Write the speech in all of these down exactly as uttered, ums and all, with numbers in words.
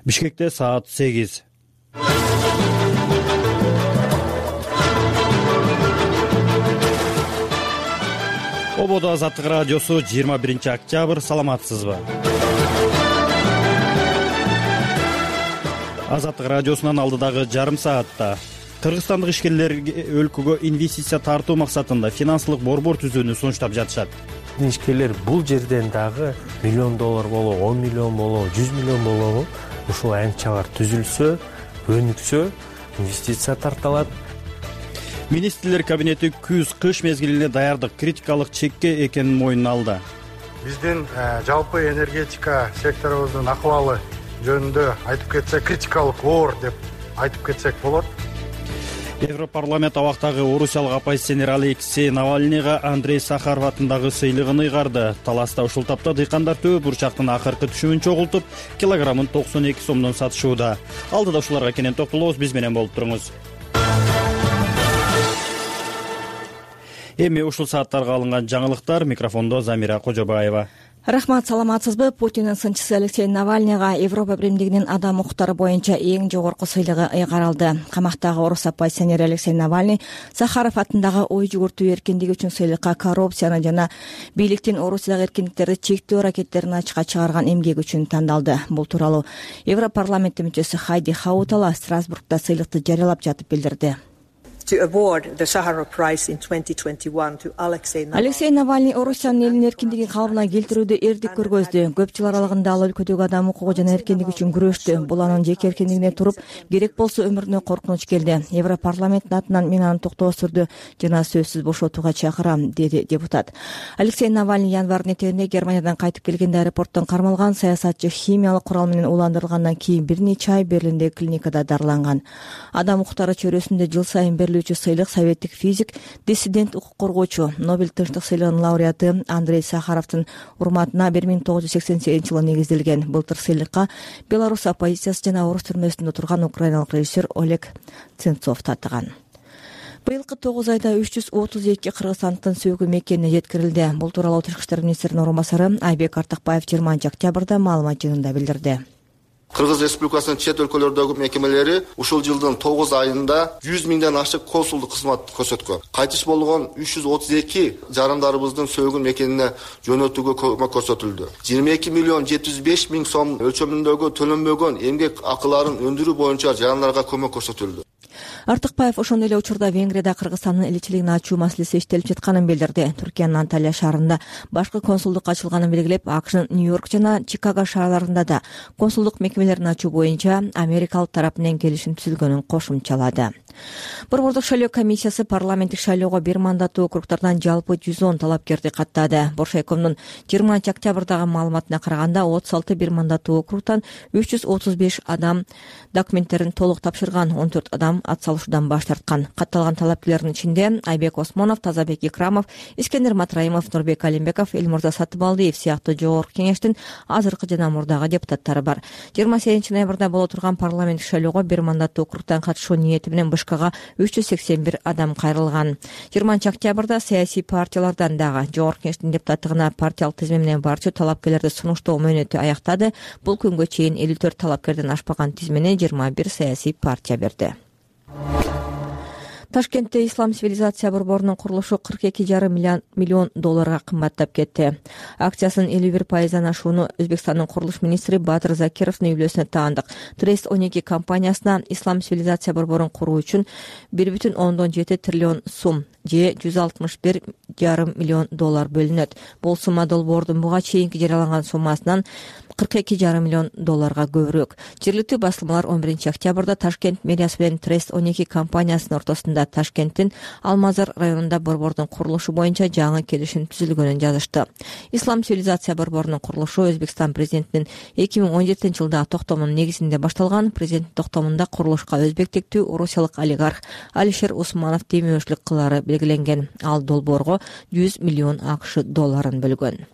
Бишкекте саат сегиз. Ободо Азаттык радиосу жыйырма биринчи октябрь. Саламатсызбы? Азаттык радиосунан алдыдагы жарым саатта кыргызстандык ишкерлерге өлкөгө инвестиция тартуу максатында финансылык борбор түзүүнү сунуштап жатышат. Ишкерлер бул жерден дагы миллион доллар болобу, он миллион болобу, жүз миллион болобу, ушул аянтчалар түзүлсө, өнүксө, инвестиция тартылат. Министрлер кабинети күз-кыш мезгилине даярдык критикалык чекке экенин мойнуна алды. Биздин жалпы энергетика секторубуздун акыбалы жөнүндө айтып кетсек, критикалык оор деп айтып кетсек болот. Европарламент абактагы орусиялык оппозиционер Алексей Навальныйга Андрей Сахаров атындагы сыйлыгын ыйгарды. Таласта ушул тапта дыйкандар төө бурчактын акыркы түшүмүн чогултуп, килограммын токсон эки сомдон сатышууда. Алдыда ушуларга кенен токтолобуз, биз менен болуп туруңуз. Эми ушул сааттарга алынган жаңылыктар. Микрофондо Замира Кожобаева. Рахмат, саламатсызбы? Путиндин сынчысы Алексей Навальныйга Европа биримдигинин адам укуктары боюнча эң жогорку сыйлыгы ыйгарылды. Камактагы орус оппозиционери Алексей Навальный Сахаров атындагы ой жүгүртүү эркиндиги үчүн сыйлыкка коррупцияны жана бийликтин Орусиядагы эркиндиктерди чектөө аракеттерин ачыкка чыгарган эмгеги үчүн тандалды. Бул тууралуу Европарламенттин мүчөсү Хайди Хаутала Страсбургда сыйлыкты жарыялап жатып билдирди. Алексей Навальный Орусиянын элинин эркиндигин калыбына келтирүүдө эрдик көргөздү. Көп жыл аралыгында ал өлкөдөгү адам укугу жана эркиндик үчүн күрөштү. Бул анын жеке эркиндигине туруп, керек болсо өмүрүнө коркунуч келди. Европарламенттин атынан мен аны токтоо түрдө жана сөзсүз бошотууга чакырам, деди депутат. Алексей Навальный январдын этегинде Германиядан кайтып келгенде аэропорттон кармалган. Саясатчы химиялык курал менен уландырылгандан кийин бир нече ай Берлиндеги клиникада дарыланган. Адам укуктары чөйрөсүндө жыл сайын берилүүчү сыйлык советтик физик, диссидент, укук коргоочу, Нобель тынчтык сыйлыгынын лауреаты Андрей Сахаровдун урматына бир миң тогуз жүз сексен сегизинчи жылы негизделген. Былтыр сыйлыкка Беларусь оппозициясы жана орус түрмөсүндө турган украиналык режиссер Олег Ценцов татыган. Быйылкы тогуз айда үч жүз отуз эки кыргызстандыктын сөгүм экенине жеткирилди. Бул тууралуу Тышкы иштер министринин орун басары Айбек Артыкбаев жыйырманчы октябрда маалымат жыйынында билдирди. Кыргыз Республикасынын чет өлкөлөрдөгү мекемелери ушул жылдын тогуз айында жүз миңден ашык консулдук кызмат көрсөткөн. Кайтыш болгон үч жүз отуз эки жарандарыбыздын сөгүн мекенине жөнөтүүгө көмөк көрсөтүлдү. жыйырма эки миллион жети жүз беш миң сом өлчөмүндөгү төлөнбөгөн эмгек акыларын өндүрүү боюнча жарандарга көмөк көрсөтүлдү. Артыкбаев ошондой эле учурда Венгрияда Кыргызстандын элчилигин ачуу маселеси иштелип жатканын билдирди. Түркиянын Анталия шаарында башкы консулдук ачылганын белгилеп, АКШнын Нью-Йорк жана Чикаго шаарларында да консулдук мекемелерин ачуу боюнча америкалык тарап менен келишим түзүлгөнүн кошумчалады. Борбордук шайлоо комиссиясы парламенттик шайлоого бир мандаттуу округдардан жалпы жүз он талапкерди каттады. Боршайкомдун жыйырманчы октябрдагы маалыматына караганда отуз алты бир мандаттуу округтан үч жүз отуз беш адам документтерин толук тапшырган, он төрт адам ат салышуудан баш тарткан. Катталган талапкерлердин ичинде Айбек Осмонов, Тазабек Икрамов, Искендер Матраимов, Нурбек Алимбеков, Элмурза Сатыбалдиев сыяктуу жогорку кеңештин азыркы жана мурдагы депутаттары бар. жыйырма сегизинчи ноябрда боло турган парламенттик шайлоого бир мандаттуу округтан катышуу ниети менен Бышкага үч жүз сексен бир адам кайрылган. жыйырманчы октябрда саясий партиялардан дагы жогорку кеңештин депутаттыгына партиялык тизме менен барчу талапкерлерди сунуштоо мөөнөтү аяктады. Бул күнгө чейин элүү төрт талапкерден ашпаган тизмени жыйырма бир саясий партия берди. Ташкентте Ислам цивилизация борборунун курулушу кырк эки жарым миллион долларга кымбаттап кетти. Акциясынын элүү бир пайыздан ашууну Өзбекстандын курулуш министри Батыр Закировдун үйлөөсүнө таандык. Трест он эки компаниясына Ислам цивилизация борборун куруу үчүн бир бүтүн ондон жети триллион сум же жүз алтымыш бир жарым миллион доллар бөлүнөт. Бул сумма долбоордун буга чейинки жарыяланган суммасынан кырк эки жарым миллион долларга көбүрөөк. Жергиликтүү басылмалар он биринчи октябрда Ташкент мэриясы менен Трест он эки компаниясынын ортосунда Ташкенттин Алмазар районунда борбордун курулушу боюнча жаңы келишим түзүлгөнүн жазышты. Ислам цивилизация борборунун курулушу Өзбекстан президентинин эки миң он жетинчи жылдагы токтомунун негизинде башталган. Президенттин токтомунда курулушка өзбектиктүү орусиялык олигарх Алишер Усманов демөөрчүлүк кылары белгиленген. Ал долбоорго жүз миллион АКШ долларын бөлгөн.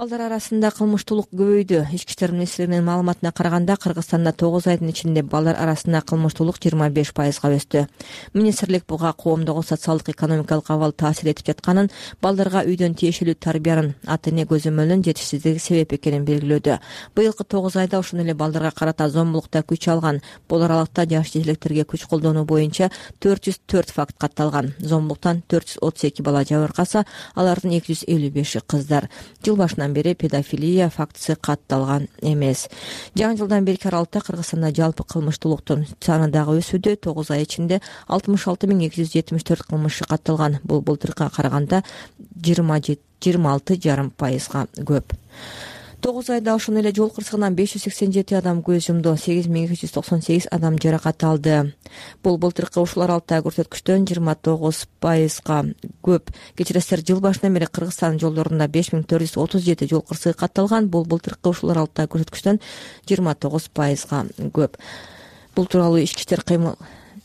Балдар арасында кылмыштуулук көбөйдү. Ички иштер министрлигинин маалыматына караганда, Кыргызстанда тогуз айдын ичинде балдар арасында кылмыштуулук жыйырма беш пайызга өстү. Министрлик буга коомдогу социалдык экономикалык абал таасир этип жатканын, балдарга үйдөн тиешелүү тарбиянын, ата эне көзөмөлүнүн жетишсиздиги себеп экенин белгилөөдө. Быйылкы тогуз айда ошондой эле балдарга карата зомбулукта күч алган, бул аралыкта жаш жетектерге күч колдонуу боюнча төрт жүз төрт факт катталган. Зомбулуктан төрт жүз отуз эки бала жабыркаса, алардын эки жүз элүү беши кыздар. Жыл башынан бери педофилия фактысы катталган эмес. Жаңы жылдан берки аралыкта Кыргызстанда жалпы кылмыштуулуктун саны дагы өсүүдө. тогуз ай ичинде алтымыш алты миң эки жүз жетимиш төрт кылмыш катталган. Бул былтыркыга караганда жыйырма алты жарым пайызга көп. тогуз айда ошондой эле жол кырсыгынан беш жүз сексен жети адам көз жумду, сегиз миң эки жүз токсон сегиз адам жаракат алды. Бул былтыркы ушул аралыктагы көрсөткүчтөн жыйырма тогуз пайызга көп. Кечиресиздер, жыл башынан бери Кыргызстан жолдорунда беш миң төрт жүз отуз жети жол кырсыгы катталган. Бул былтыркы ушул аралыктагы көрсөткүчтөн жыйырма тогуз пайызга көп. Бул тууралуу Ички иштер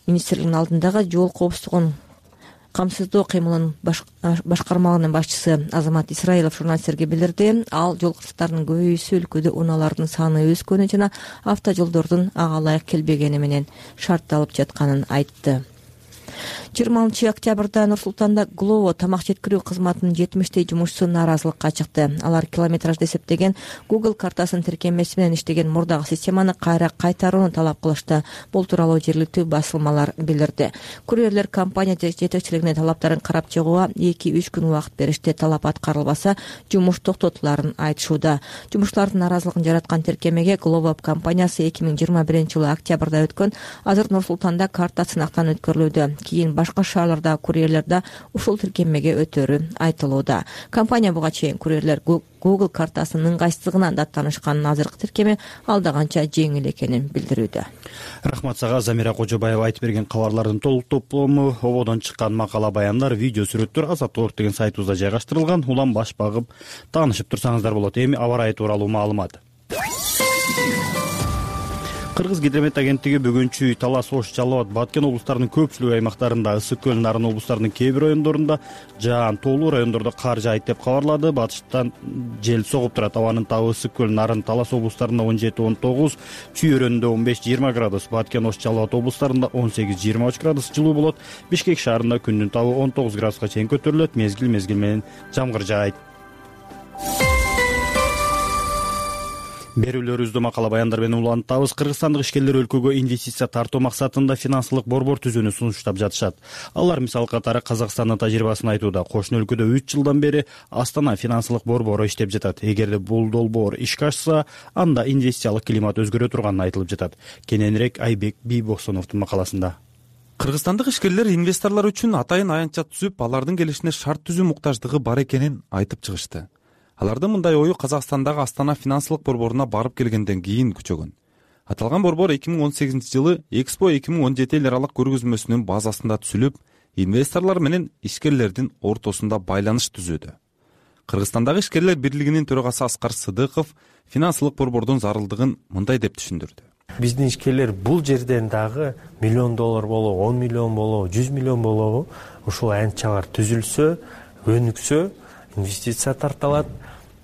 министрлигинин алдындагы жол коопсуздугун камсыздоо кыймылынын башкармалыгынын башчысы Азамат Исраилов журналисттерге билдирди. Ал жол кырсыктарынын көбөйүүсү өлкөдө унаалардын саны өскөнү жана автожолдордун ага ылайык келбегени менен шартталып жатканын айтты. жыйырма алтынчы октябрда Нур-Султанда Glovo тамак жеткирүү кызматынын жетимиштей жумушчусу нааразылыкка чыкты. Алар километражды эсептеген Google картасынын тиркемеси менен иштеген мурдагы системаны кайра кайтарууну талап кылышты. Бул тууралуу жергиликтүү басылмалар билдирди. Курьерлер компания жетекчилигине талаптарын карап чыгууга эки үч күн убакыт беришти. Талап аткарылбаса, жумуш токтотуларын айтышууда. Жумушчулардын нааразылыгын жараткан тиркемеге Glovo компаниясы эки миң жыйырма биринчи жылы октябрда өткөн азыр Нур-Султанда карта сынактан өткөрүлүүдө. Кийин башка шаарларда курьерлерде ушул тиркемеге өтөрү айтылууда. Компания буга чейин курьерлер Google картасынын ыңгайсыздыгынан даттанышканын, азыркы тиркеме алдаганча жеңил экенин билдирүүдө. Рахмат сага. Замира Кожобаева айтып берген кабарлардын толук топлому, ободон чыккан макала баяндар, видео сүрөттөр Азаттык деген сайтыбызда жайгаштырылган. Улам баш багып таанышып турсаңыздар болот. Эми аба ырайы тууралуу маалымат. Кыргыз гидромет агенттиги бүгүнчү Талас, Ош, Жалал Абад, Баткен облустарынын көпчүлүк аймактарында, Ысык көл, Нарын облустарынын кээ бир райондорунда жаан, тоолуу райондордо кар жаайт деп кабарлады. Батыштан жел согуп турат. Абанын табы Ысык көл, Нарын, Талас облустарында он жети он тогуз, Чүй өрөөнүндө он беш жыйырма градус, Баткен, Ош, Жалал Абад облустарында он сегиз жыйырма үч градус жылуу болот. Бишкек шаарында күндүн табы он тогуз градуска чейин көтөрүлөт. Мезгил мезгил менен жамгыр жаайт. Берүүлөрүбүздө макала баяндар менен улантабыз. Кыргызстандык ишкерлер өлкөгө инвестиция тартуу максатында финансылык борбор түзүүнү сунуштап жатышат. Алар мисал катары Казакстандын тажрыйбасын айтууда. Кошуна өлкөдө үч жылдан бери Астана финансылык борбору иштеп жатат. Эгерде бул долбоор ишке ашса, анда инвестициялык климат өзгөрө турганы айтылып жатат. Кененирээк Айбек Бийбоксоновдун макаласында. Кыргызстандык ишкерлер инвесторлор үчүн атайын аянтча түзүп, алардын келишине шарт түзүү муктаждыгы бар экенин айтып чыгышты. Алардын мындай ою Казакстандагы Астана финансылык борборуна барып келгенден кийин күчөгөн. Аталган борбор эки миң он сегизинчи жылы Экспо эки миң он жети эл аралык көргөзмөсүнүн базасында түзүлүп, инвесторлор менен ишкерлердин ортосунда байланыш түзүүдө. Кыргызстандагы ишкерлер бирлигинин төрагасы Аскар Сыдыков финансылык борбордун зарылдыгын мындай деп түшүндүрдү. Биздин ишкерлер бул жерден дагы миллион доллар болобу, он миллион болобу, жүз миллион болобу, ушул аянтчалар түзүлсө, өнүксө, инвестиция тартылат.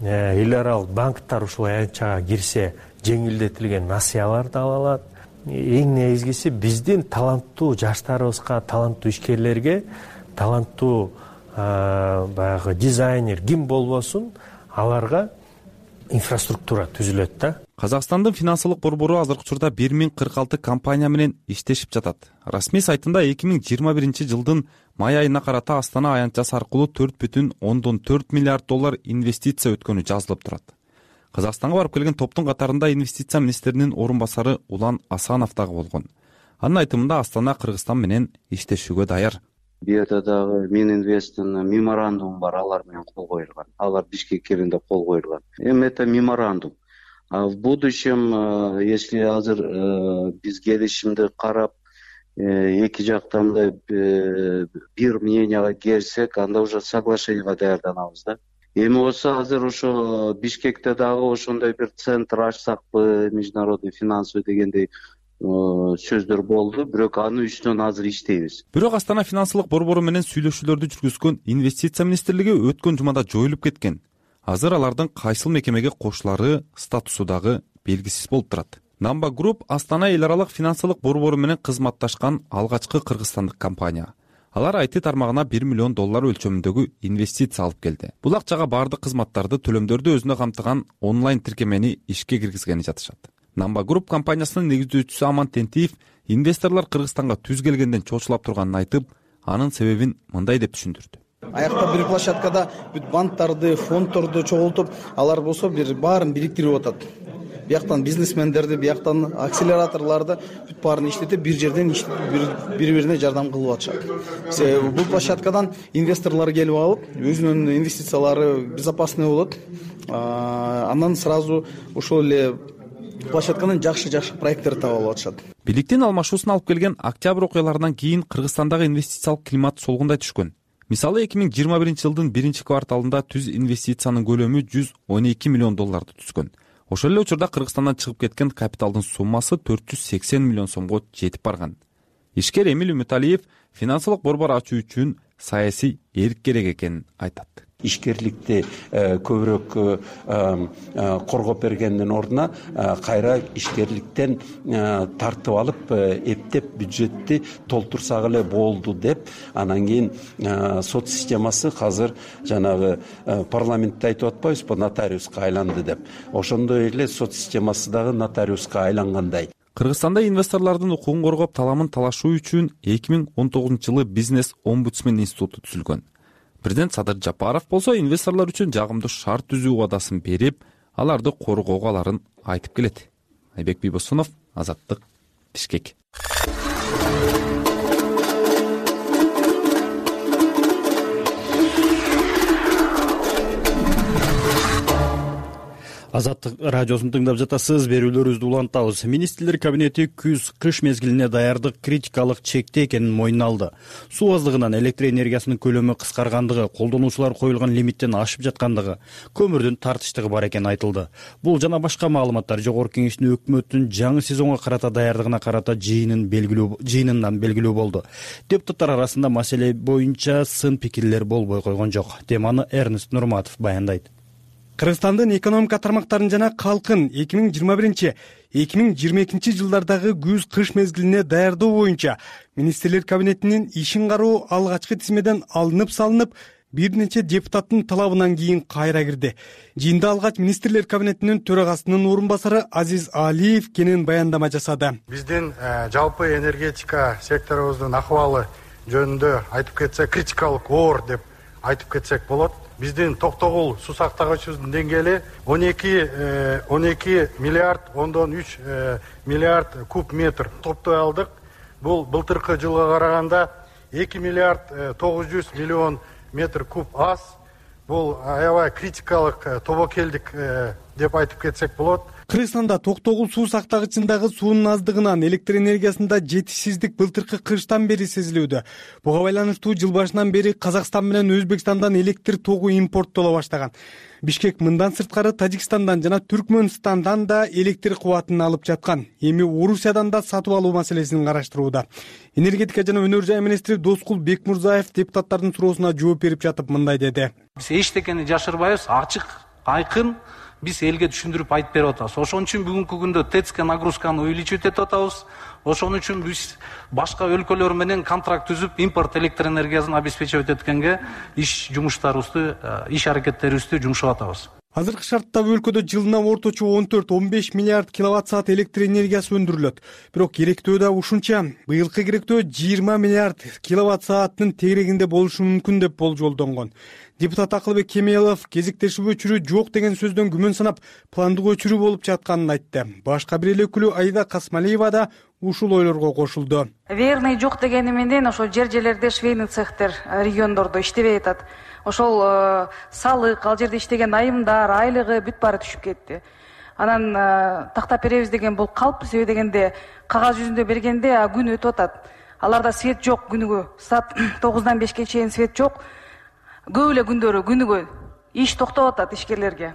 Эл аралык банктар ушул аянтчага кирсе, жеңилдетилген насыяларды ала алат. Эң негизгиси биздин таланттуу жаштарыбызга, таланттуу ишкерлерге, таланттуу баягы дизайнер ким болбосун, аларга инфраструктура түзүлөт да. Казакстандын финансылык борбору азыркы учурда бир миң кырк алты компания менен иштешип жатат. Расмий сайтында эки миң жыйырма биринчи жылдын май айына карата Астана аянтчасы аркылуу төрт бүтүн ондон төрт миллиард доллар инвестиция өткөнү жазылып турат. Казакстанга барып келген топтун катарында инвестиция министринин орун басары Улан Асанов дагы болгон. Анын айтымында Астана Кыргызстан менен иштешүүгө даяр. Бу жерде дагы Мининвесттин меморандуму бар, алар менен кол коюлган. Алар Бишкек келинде кол коюлган. Эми это меморандум. А в будущем, если азыр биз келишимди карап, эки жактан мындай бир мненияга келсек, анда уже соглашениеге даярданабыз да. Эми болсо азыр ошо Бишкекте дагы ошондой бир центр ачсакпы, международный финансовый дегендей сөздөр болду, бирок анын үстүнөн азыр иштейбиз. Бирок Астана финансылык борбору менен сүйлөшүүлөрдү жүргүзгөн инвестиция министрлиги өткөн жумада жоюлуп кеткен. азыр алардын кайсыл мекемеге кошулары статусу дагы белгисиз болуп турат. Numba Group Астана эл аралык финансылык борбору менен кызматташкан алгачкы кыргызстандык компания. Алар ай ти тармагына бир миллион доллар өлчөмүндөгү инвестиция алып келди. Бул акчага баардык кызматтарды, төлөмдөрдү өзүнө камтыган онлайн тиркемени ишке киргизгени жатышат. Numba Group компаниясынын негиздөөчүсү Аман Тентиев инвесторлор Кыргызстанга түз келгенден чочулап турганын айтып, анын себебин мындай деп түшүндүрдү. Аякта бир площадкада бүт банкторду, фонддорду чогултуп, алар болсо бир баарын бириктирип атат. Бияктан бизнесмендерди, бияктан акселераторлорду бүт баарын иштетип, бир жерден бири-бирине жардам кылып атышат. Бул площадкадан инвесторлор келип алып, өзүнүн инвестициялары безопасный болот. Андан сразу ошол эле площадканын жакшы-жакшы проекттерди таап алып атышат. Бийликтин алмашуусун алып келген октябрь окуяларынан кийин Кыргызстандагы инвестициялык климат солгундай түшкөн. Мисалы эки миң жыйырма биринчи жылдын биринчи кварталында түз инвестициянын көлөмү жүз он эки миллион долларды түзгөн. Ошол эле учурда Кыргызстандан чыгып кеткен капиталдын суммасы төрт жүз сексен миллион сомго жетип барган. Ишкер Эмил Үмүталиев финансылык борбор ачуу үчүн саясий эрк керек экенин айтат. Ишкерликти көбүрөөк коргоп бергендин ордуна кайра ишкерликтен тартып алып, эптеп бюджетти толтурсак эле болду деп, анан кийин сот системасы азыр жанагы парламентте айтып атпайбызбы, нотариуска айланды деп. Ошондой эле сот системасы дагы нотариуска айлангандай. Кыргызстанда инвесторлордун укугун коргоп, таламын талашуу үчүн эки миң он тогузунчу жылы бизнес омбудсмен институту түзүлгөн. Президент Садыр Жапаров болсо инвесторлор үчүн жагымдуу шарт түзүү убадасын берип, аларды коргоого аларын айтып келет. Айбек Бийбосунов, Азаттык, Бишкек. Азаттык радиосун тыңдап жатасыз. Берүүлөрүбүздү улантабыз. Министрлер кабинети күз-кыш мезгилине даярдык критикалык чекте экенин мойнуна алды. Суу аздыгынан электр энергиясынын көлөмү кыскаргандыгы, колдонуучулар коюлган лимиттен ашып жаткандыгы, көмүрдүн тартыштыгы бар экени айтылды. Бул жана башка маалыматтар Жогорку Кеңештин өкмөттүн жаңы сезонго карата даярдыгына карата жыйынын белгилүү жыйынынан белгилүү болду. Депутаттар арасында маселе боюнча сын пикирлер болбой койгон жок. Теманы Эрнест Нурматов баяндайт. Кыргызстандын экономика тармактарын жана калкын эки миң жыйырма биринчи — эки миң жыйырма экинчи жылдардагы күз-кыш мезгилине даярдоо боюнча министрлер кабинетинин ишин кароо алгачкы тизмеден алынып салынып, бир нече депутаттын талабынан кийин кайра кирди. Жыйында алгач министрлер кабинетинин төрагасынын орун басары Азиз Алиев кенен баяндама жасады. Биздин жалпы энергетика секторубуздун акыбалы жөнүндө айтып кетсек, критикалык оор деп айтып кетсек болот. Биздин Токтогул суу сактагычыбыздын деңгээли он эки миллиард ондон үч миллиард куб метр топтой алдык. Бул былтыркы жылга караганда эки миллиард тогуз жүз миллион метр куб аз. Бул аябай критикалык тобокелдик деп айтып кетсек болот. Кыргызстанда Токтогул суу сактагычындагы суунун аздыгынан электр энергиясында жетишсиздик былтыркы кыштан бери сезилүүдө. Буга байланыштуу жыл башынан бери Казакстан менен Өзбекстандан электр тогу импорттоло баштаган. Бишкек мындан сырткары Тажикстандан жана Түркмөнстандан да электр кубатын алып жаткан. Эми Орусиядан да сатып алуу маселесин караштырууда. Энергетика жана өнөр жай министри Доскул Бекмурзаев депутаттардын суроосуна жооп берип жатып мындай деди. Биз эчтекени жашырбайбыз, ачык, айкын биз элге түшүндүрүп айтып берип атабыз. Ошон үчүн бүгүнкү күндө ТЭЦК нагрузканы увеличивать этип атабыз. Ошон үчүн биз башка өлкөлөр менен контракт түзүп, импорт электр энергиясын обеспечивать эткенге иш жумуштарыбызды, иш аракеттерибизди жумшап атабыз. Азыркы шарттагы өлкөдө жылына орточо он төрт — он беш миллиард киловатт саат электр энергиясы өндүрүлөт. Бирок керектөө да ушунча. Быйылкы керектөө жыйырма миллиард киловатт сааттын тегерегинде болушу мүмкүн деп болжолдонгон. Депутат Акылбек Кемелов кезектешүү өчүрүү жок деген сөздөн күмөн санап, пландык өчүрүү болуп жатканын айтты. Башка бир эле өкүлү Айда Касмалиева да ушул ойлорго кошулду. Верный жок дегени менен ошол жер-жерлерде швейный цехтер региондордо иштебей атат. Ошол салык, ал жерде иштеген айымдар, айлыгы бүт баары түшүп кетти. Анан тактап беребиз деген бул калп, себеби дегенде кагаз жүзүндө бергенде күн өтүп атат. Аларда свет жок күнүгө. Саат тогуздан бешке чейин свет жок. Көп эле күндөрү күнүгө иш токтоп атат ишкерлерге.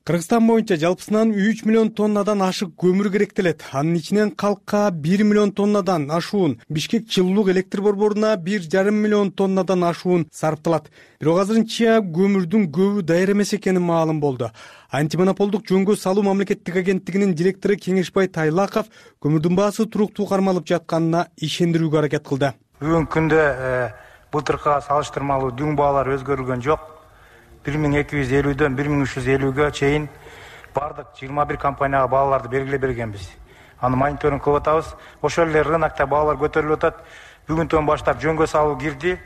Кыргызстан боюнча жалпысынан үч миллион тоннадан ашык көмүр керектелет. Анын ичинен калкка бир миллион тоннадан ашуун, Бишкек жылуулук электр борборуна бир жарым миллион тоннадан ашуун сарпталат. Бирок азырынча көмүрдүн көбү даяр эмес экени маалым болду. Антимонополдук жөнгө салуу мамлекеттик агенттигинин директору Кеңешбай Тайлаков көмүрдүн баасы туруктуу кармалып жатканына ишендирүүгө аракет кылды. Бүгүнкү күндө былтыркыга салыштырмалуу дүң баалар өзгөрүлгөн жок. бир миң эки жүз элүүдөн бир миң үч жүз элүүгө чейин бардык жыйырма бир компанияга бааларды белгилеп бергенбиз. Аны мониторинг кылып атабыз. Ошол эле рынокто баалар көтөрүлүп атат. Бүгүнтөн баштап жөнгө салуу кирди.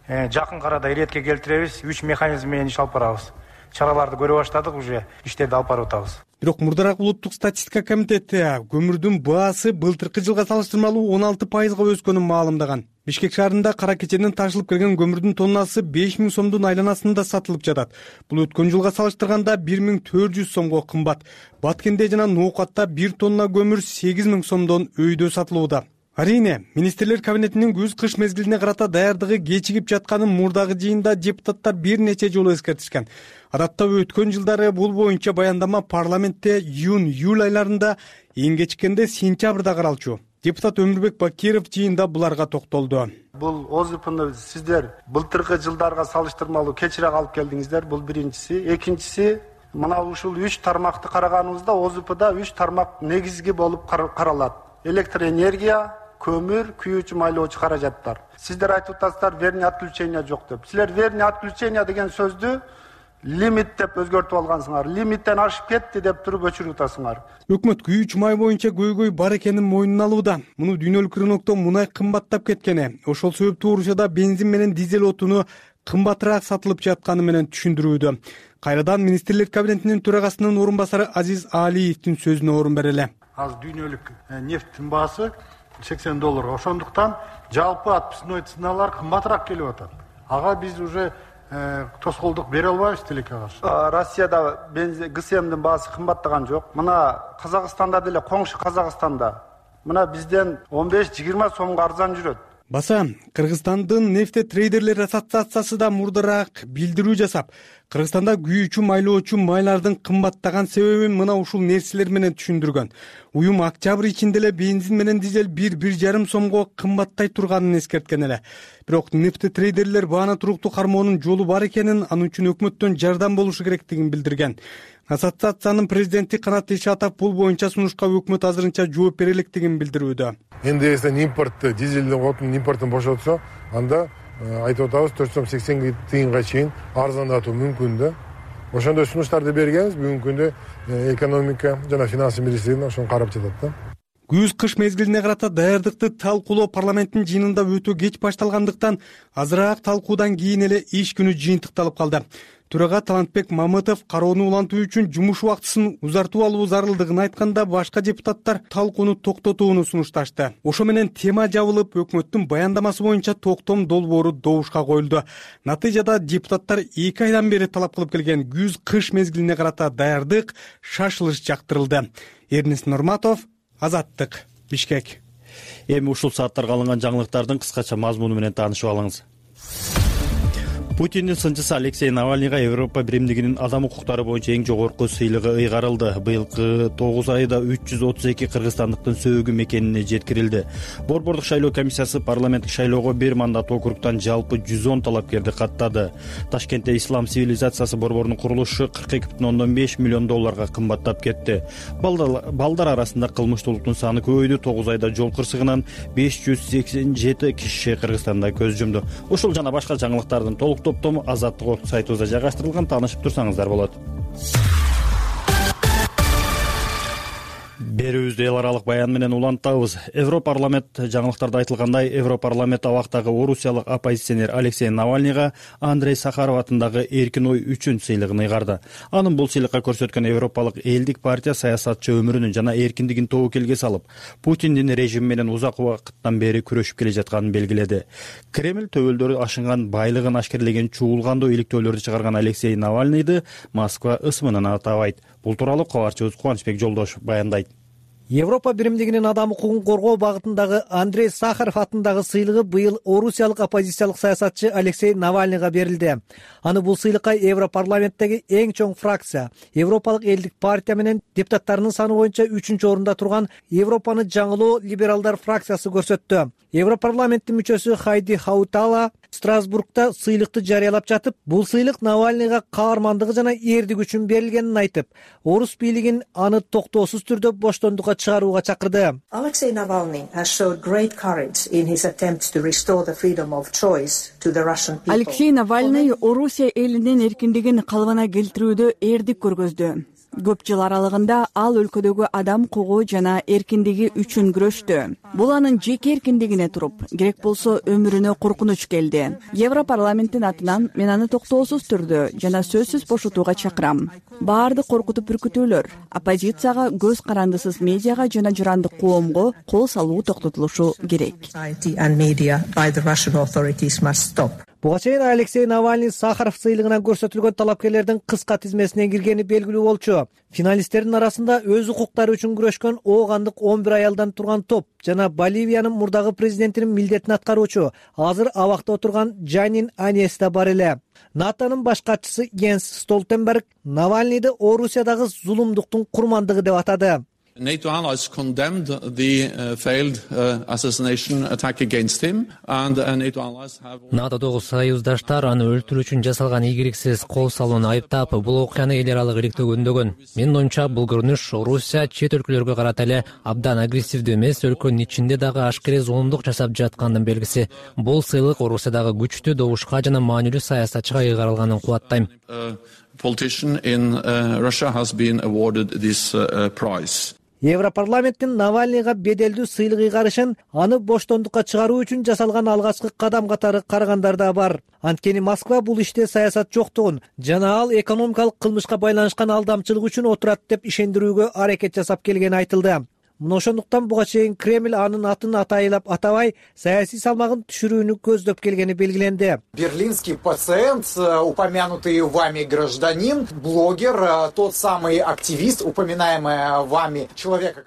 Жакын арада иретке келтиребиз. Үч механизм менен иш алып барабыз. Чараларды көрө баштадык, уже иштерди алып барып атабыз. Бирок мурдараак улуттук статистика комитети көмүрдүн баасы былтыркы жылга салыштырмалуу он алты пайызга өскөнүн маалымдаган. Бишкек шаарында кара кеченен ташылып келген көмүрдүн тоннасы беш миң сомдун айланасында сатылып жатат. Бул өткөн жылга салыштырганда бир миң төрт жүз сомго кымбат. Баткенде жана Ноокатта бир тонна көмүр сегиз миң сомдон өйдө сатылууда. Арийне, министрлер кабинетинин күз-кыш мезгилине карата даярдыгы кечигип жатканын мурдагы жыйында депутаттар бир нече жолу эскертишкен. Адатта өткөн жылдары бул боюнча баяндама парламентте июнь-июль айларында, эң кечиккенде сентябрда каралчу. Депутат Өмүрбек Бакиров жыйында буларга токтолду. Бул ОЗПны сиздер былтыркы жылдарга салыштырмалуу кечирээк алып келдиңиздер. Бул биринчиси. Экинчиси, мына ушул үч тармакты караганыбызда ОЗПда үч тармак негизги болуп каралат. Электр энергия, көмүр, күйүүчү майлоочу каражаттар. Сиздер айтып атасыздар, верни отключения жок деп. Силер верни отключения деген сөздү лимит деп өзгөртүп алгансыңар. Лимиттен ашып кетти деп туруп өчүрүп атасыңар. Өкмөт күйүүчү май боюнча көйгөй бар экенин мойнуна алууда. Муну дүйнөлүк рынокто мунай кымбаттап кеткени, ошол себептүү Орусияда бензин менен дизель отуну кымбатыраак сатылып жатканы менен түшүндүрүүдө. Кайрадан министрлер кабинетинин төрагасынын орун басары Азиз Алиевдин сөзүнө орун берели. Азыр дүйнөлүк нефттин баасы сексен доллар. Ошондуктан жалпы отпускной ценалар кымбатыраак келип атат. Ага биз уже тоскоолдук бере албайбыз тилекке каршы. Россияда бензин ГСМдин баасы кымбаттаган жок. Мына Казакстанда деле, коңшу Казакстанда мына бизден он беш жыйырма сомго арзан жүрөт. Баса, Кыргызстандын нефтетрейдерлер ассоциациясы да мурдараак билдирүү жасап, Кыргызстанда күйүүчү майлоочу майлардын кымбаттаган себебин мына ушул нерселер менен түшүндүргөн. Уюм октябрь ичинде эле бензин менен дизель бир бир жарым сомго кымбаттай турганын эскерткен эле. Бирок нефтетрейдерлер бааны туруктуу кармоонун жолу бар экенин, анын үчүн өкмөттөн жардам болушу керектигин билдирген. Ассоциациянын президенти Канат Ишатов бул боюнча сунушка өкмөт азырынча жооп бере электигин билдирүүдө. Энди эсен импортты, дизелдин отунун импортун бошотсо, анда айтып атабыз төрт жүз сексен тыйынга чейин арзандатуу мүмкүн да. Ошондой сунуштарды бергенбиз. Бүгүнкү күндө экономика жана финанс министрлиги ошону карап жатат да. Күз-кыш мезгилине карата даярдыкты талкуулоо парламенттин жыйынында өтө кеч башталгандыктан, азыраак талкуудан кийин эле иш күнү жыйынтыкталып калды. Төрага Талантбек Мамытов кароону улантуу үчүн жумуш убактысын узартуу алуу зарылдыгын айтканда, башка депутаттар талкууну токтотууну сунушташты. Ошо менен тема жабылып, өкмөттүн баяндамасы боюнча токтом долбоору добушка коюлду. Натыйжада депутаттар эки айдан бери талап кылып келген күз-кыш мезгилине карата даярдык шашылыш жактырылды. Эрнест Нурматов, Азаттык, Бишкек. Эми ушул сааттарга алынган жаңылыктардын кыскача мазмуну менен таанышып алыңыз. Путиндин сынчысы Алексей Навальныйга Европа биримдигинин адам укуктары боюнча эң жогорку сыйлыгы ыйгарылды. Быйылкы тогуз айда үч жүз отуз эки кыргызстандыктын сөөгү мекенине жеткирилди. Борбордук шайлоо комиссиясы парламенттик шайлоого бир мандат округтан жалпы жүз он талапкерди каттады. Ташкентте ислам цивилизациясы борборунун курулушу кырк эки бүтүн ондон беш миллион долларга кымбаттап кетти. Балдар арасында кылмыштуулуктун саны көбөйдү. тогуз айда жол кырсыгынан беш жүз сексен жети киши Кыргызстанда көз жумду. Ушул жана башка жаңылыктардын толук топтому Азаттык сайтыбызда жайгаштырылган, таанышып турсаңыздар болот. Берүүбүздү эл аралык баян менен улантабыз. Европарламент жаңылыктарда айтылгандай, Европарламент абактагы орусиялык оппозиционер Алексей Навальныйга Андрей Сахаров атындагы эркин ой үчүн сыйлыгын ыйгарды. Анын бул сыйлыкка көрсөткөн Европалык элдик партия саясатчы өмүрүнүн жана эркиндигин тобокелге салып, Путиндин режими менен узак убакыттан бери күрөшүп келе жатканын белгиледи. Кремль төбөлдөрү ашынган байлыгын ашкерлеген чуулгандуу иликтөөлөрдү чыгарган Алексей Навальныйды Москва ысымынан атабайт. Бул тууралуу кабарчыбыз Кубанычбек Жолдошев баяндайт. Европа биримдигинин адам укугун коргоо багытындагы Андрей Сахаров атындагы сыйлыгы быйыл орусиялык оппозициялык саясатчы Алексей Навальныйга берилди. Аны бул сыйлыкка Европарламенттеги эң чоң фракция, Европалык элдик партия менен депутаттарынын саны боюнча үчүнчү орунда турган Европаны жаңылоо либералдар фракциясы көрсөттү. Европарламенттин мүчөсү Хайди Хаутала Страсбургда сыйлыкты жарыялап жатып, бул сыйлык Навальныйга каармандыгы жана эрдик үчүн берилгенин айтып, орус бийлигин аны токтоосуз түрдө боштондукка чыгарууга чакырды. Alexei Navalny has showed great courage in his attempts to restore the freedom of choice to the Russian people. Алексей Навальный Орусия элинин эркиндигин калыбына келтирүүдө эрдик көргөздү. Көп жыл аралыгында ал өлкөдөгү адам укугу жана эркиндиги үчүн күрөштү. Бул анын жеке эркиндигине туруп, керек болсо өмүрүнө коркунуч келди. Европарламенттин атынан мен аны токтоосуз түрдө жана сөзсүз бошотууга чакырам. Баардык коркутуп үркүтүүлөр, оппозицияга, көз карандысыз медиага жана жырандык коомго кол салуу токтотулушу керек. Буга чейин Алексей Навальный Сахаров сыйлыгынан көрсөтүлгөн талапкерлердин кыска тизмесине киргени белгилүү болчу. Финалисттердин арасында өз укуктары үчүн күрөшкөн оогандык он бир аялдан турган топ жана Боливиянын мурдагы президентинин милдетин аткаруучу, азыр абакта отурган Джанин Аньес да бар эле. НАТОнун баш катчысы Йенс Столтенберг Навальныйды Орусиядагы зулумдуктун курмандыгы деп атады. NATO allies condemned the uh, failed uh, assassination attack against him, and uh, NATO allies have. натодогу союздаштар аны өлтүрүү үчүн жасалган ийгиликсиз кол салууну айыптап, бул окуяны эл аралык иликтөгөндөгөн. Менин оюмча, бул көрүнүш Орусия чет өлкөлөргө карата эле абдан агрессивдүү эмес, өлкөнүн ичинде дагы ашкерей зулумдук жасап жаткандын белгиси. Бул сыйлык Орусиядагы күчтүү добушка жана маанилүү саясатчыга ыйгарылганын кубаттайм. Politician in uh, Russia has been awarded this uh, prize. Европарламенттин Навальныйга беделдүү сыйлык ыйгарышын аны боштондукка чыгаруу үчүн жасалган алгачкы кадам катары карагандар да бар. Анткени Москва бул иште саясат жоктугун жана ал экономикалык кылмышка байланышкан алдамчылык үчүн отурат деп ишендирүүгө аракет жасап келгени айтылды. Мына ошондуктан буга чейин Кремль анын атын атайлап атабай, саясий салмагын түшүрүүнү көздөп келгени белгиленди. Берлинский пациент, упомянутый вами гражданин, блогер, тот самый активист, упоминаемый вами человека.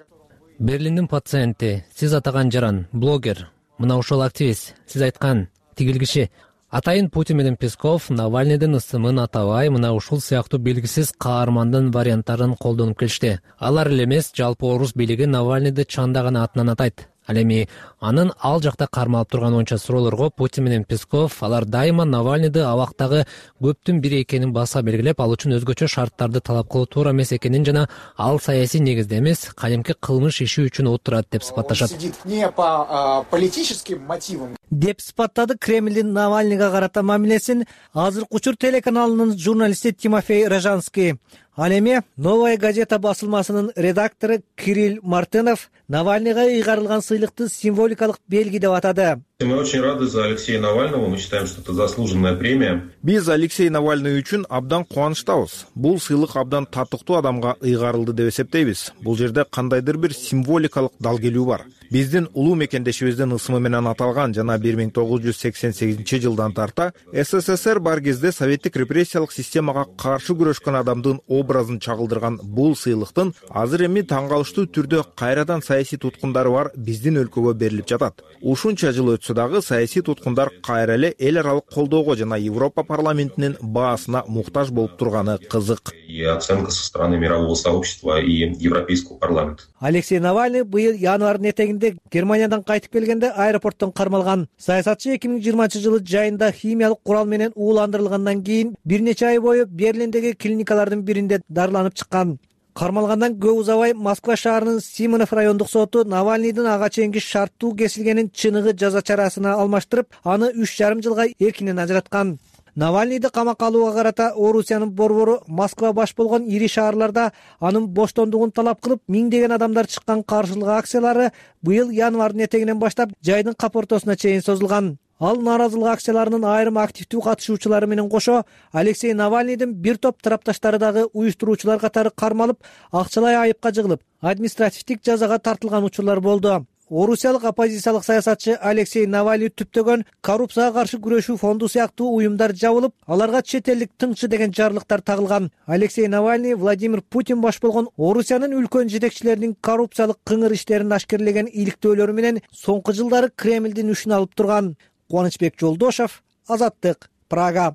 Берлиндин пациенти, сиз атаган жаран, блогер, мына ошол активист, сиз айткан тигил киши. Атайын Путин менен Песков Навальныйдын ысымын атабай, мына ушул сыяктуу белгисиз каармандын варианттарын колдонуп келишти. Алар эле эмес, жалпы орус бийлиги Навальныйды чандаган атынан атайт. Ал эми анын ал жакта кармалып турган онча суроолорго Путин менен Песков алар дайыма Навальныйды абактагы көптүн бири экенин баса белгилеп, ал үчүн өзгөчө шарттарды талап кылуу туура эмес экенин жана ал саясий негизде эмес, кадимки кылмыш иши үчүн отурат деп сыпатташат. Сидит не по политическим мотивам деп сыпаттады Кремлдин Навальныйга карата мамилесин азыркы учур телеканалынын журналисти Тимофей Рожанский. Ал эми Новая газета басылмасынын редактору Кирилл Мартынов Навальныйга ыйгарылган сыйлыкты символикалык белги деп атады. Мы очень рады за Алексея Навального, мы считаем, что это заслуженная премия. Биз Алексей Навальный үчүн абдан кубанычтабыз. Бул сыйлык абдан татыктуу адамга ыйгарылды деп эсептейбиз. Бул жерде кандайдыр бир символикалык дал келүү бар. Биздин улуу мекендешибиздин ысымы менен аталган жана бир миң тогуз жүз сексен сегизинчи жылдан тарта СССР бар кезде советтик репрессиялык системага каршы күрөшкөн адамдын образын чагылдырган бул сыйлыктын азыр эми таң калыштуу түрдө кайрадан саясий туткундары бар биздин өлкөгө берилип жатат. Ушунча жыл өтсө дагы саясий туткундар кайра эле эл аралык колдоого жана Европа парламентинин баасына муктаж болуп турганы кызык. И оценка со стороны мирового сообщества и Европейского парламента. Алексей Навальный быйыл январдын этегинде Германиядан кайтып келгенде аэропорттон кармалган. Саясатчы эки миң жыйырманчы жылы жайында химиялык курал менен ууландырылгандан кийин бир нече ай бою Берлиндеги клиникалардын биринде дарыланып чыккан. Кармалгандан көп узабай Москва шаарынын Симонов райондук соту Навальныйдын ага чейинки шарттуу кесилгенин чыныгы жаза чарасына алмаштырып, аны үч жарым жылга эркинен ажыраткан. Навальныйды камакка алууга карата Орусиянын борбору Москва баш болгон ири шаарларда анын боштондугун талап кылып, миңдеген адамдар чыккан каршылык акциялары быйыл январдын этегинен баштап жайдын кап ортосуна чейин созулган. Ал нааразылык акцияларынын айрым активдүү катышуучулары менен кошо Алексей Навальныйдын бир топ тарапташтары дагы уюштуруучулар катары кармалып, акчалай айыпка жыгылып, административдик жазага тартылган учурлар болду. орусиялык оппозициялык саясатчы Алексей Навальный түптөгөн коррупцияга каршы күрөшүү фонду сыяктуу уюмдар жабылып, аларга чет элдик тыңчы деген жарлыктар тагылган. Алексей Навальный Владимир Путин баш болгон Орусиянын үлкөн жетекчилеринин коррупциялык кыңыр иштерин ашкерлеген иликтөөлөрү менен соңку жылдары Кремлдин үчүн алып турган. Кубанычбек Жолдошов, Азаттык, Прага.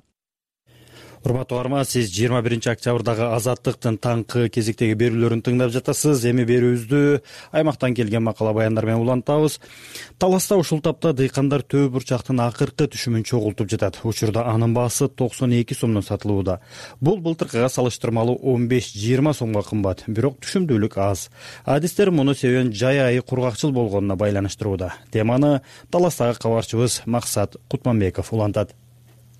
Урматтуу угарман, сиз жыйырма биринчи октябрдагы Азаттыктын таңкы кезектеги берүүлөрүн тыңдап жатасыз. Эми берүүбүздү аймактан келген макала баяндар менен улантабыз. Таласта ушул тапта дыйкандар төө бурчактын акыркы түшүмүн чогултуп жатат. Учурда анын баасы токсон эки сомдон сатылууда. Бул былтыркыга салыштырмалуу он беш жыйырма сомго кымбат, бирок түшүмдүүлүк аз. Адистер муну себебин жай айы кургакчыл болгонуна байланыштырууда. Теманы Таластагы кабарчыбыз Максат Кутманбеков улантат.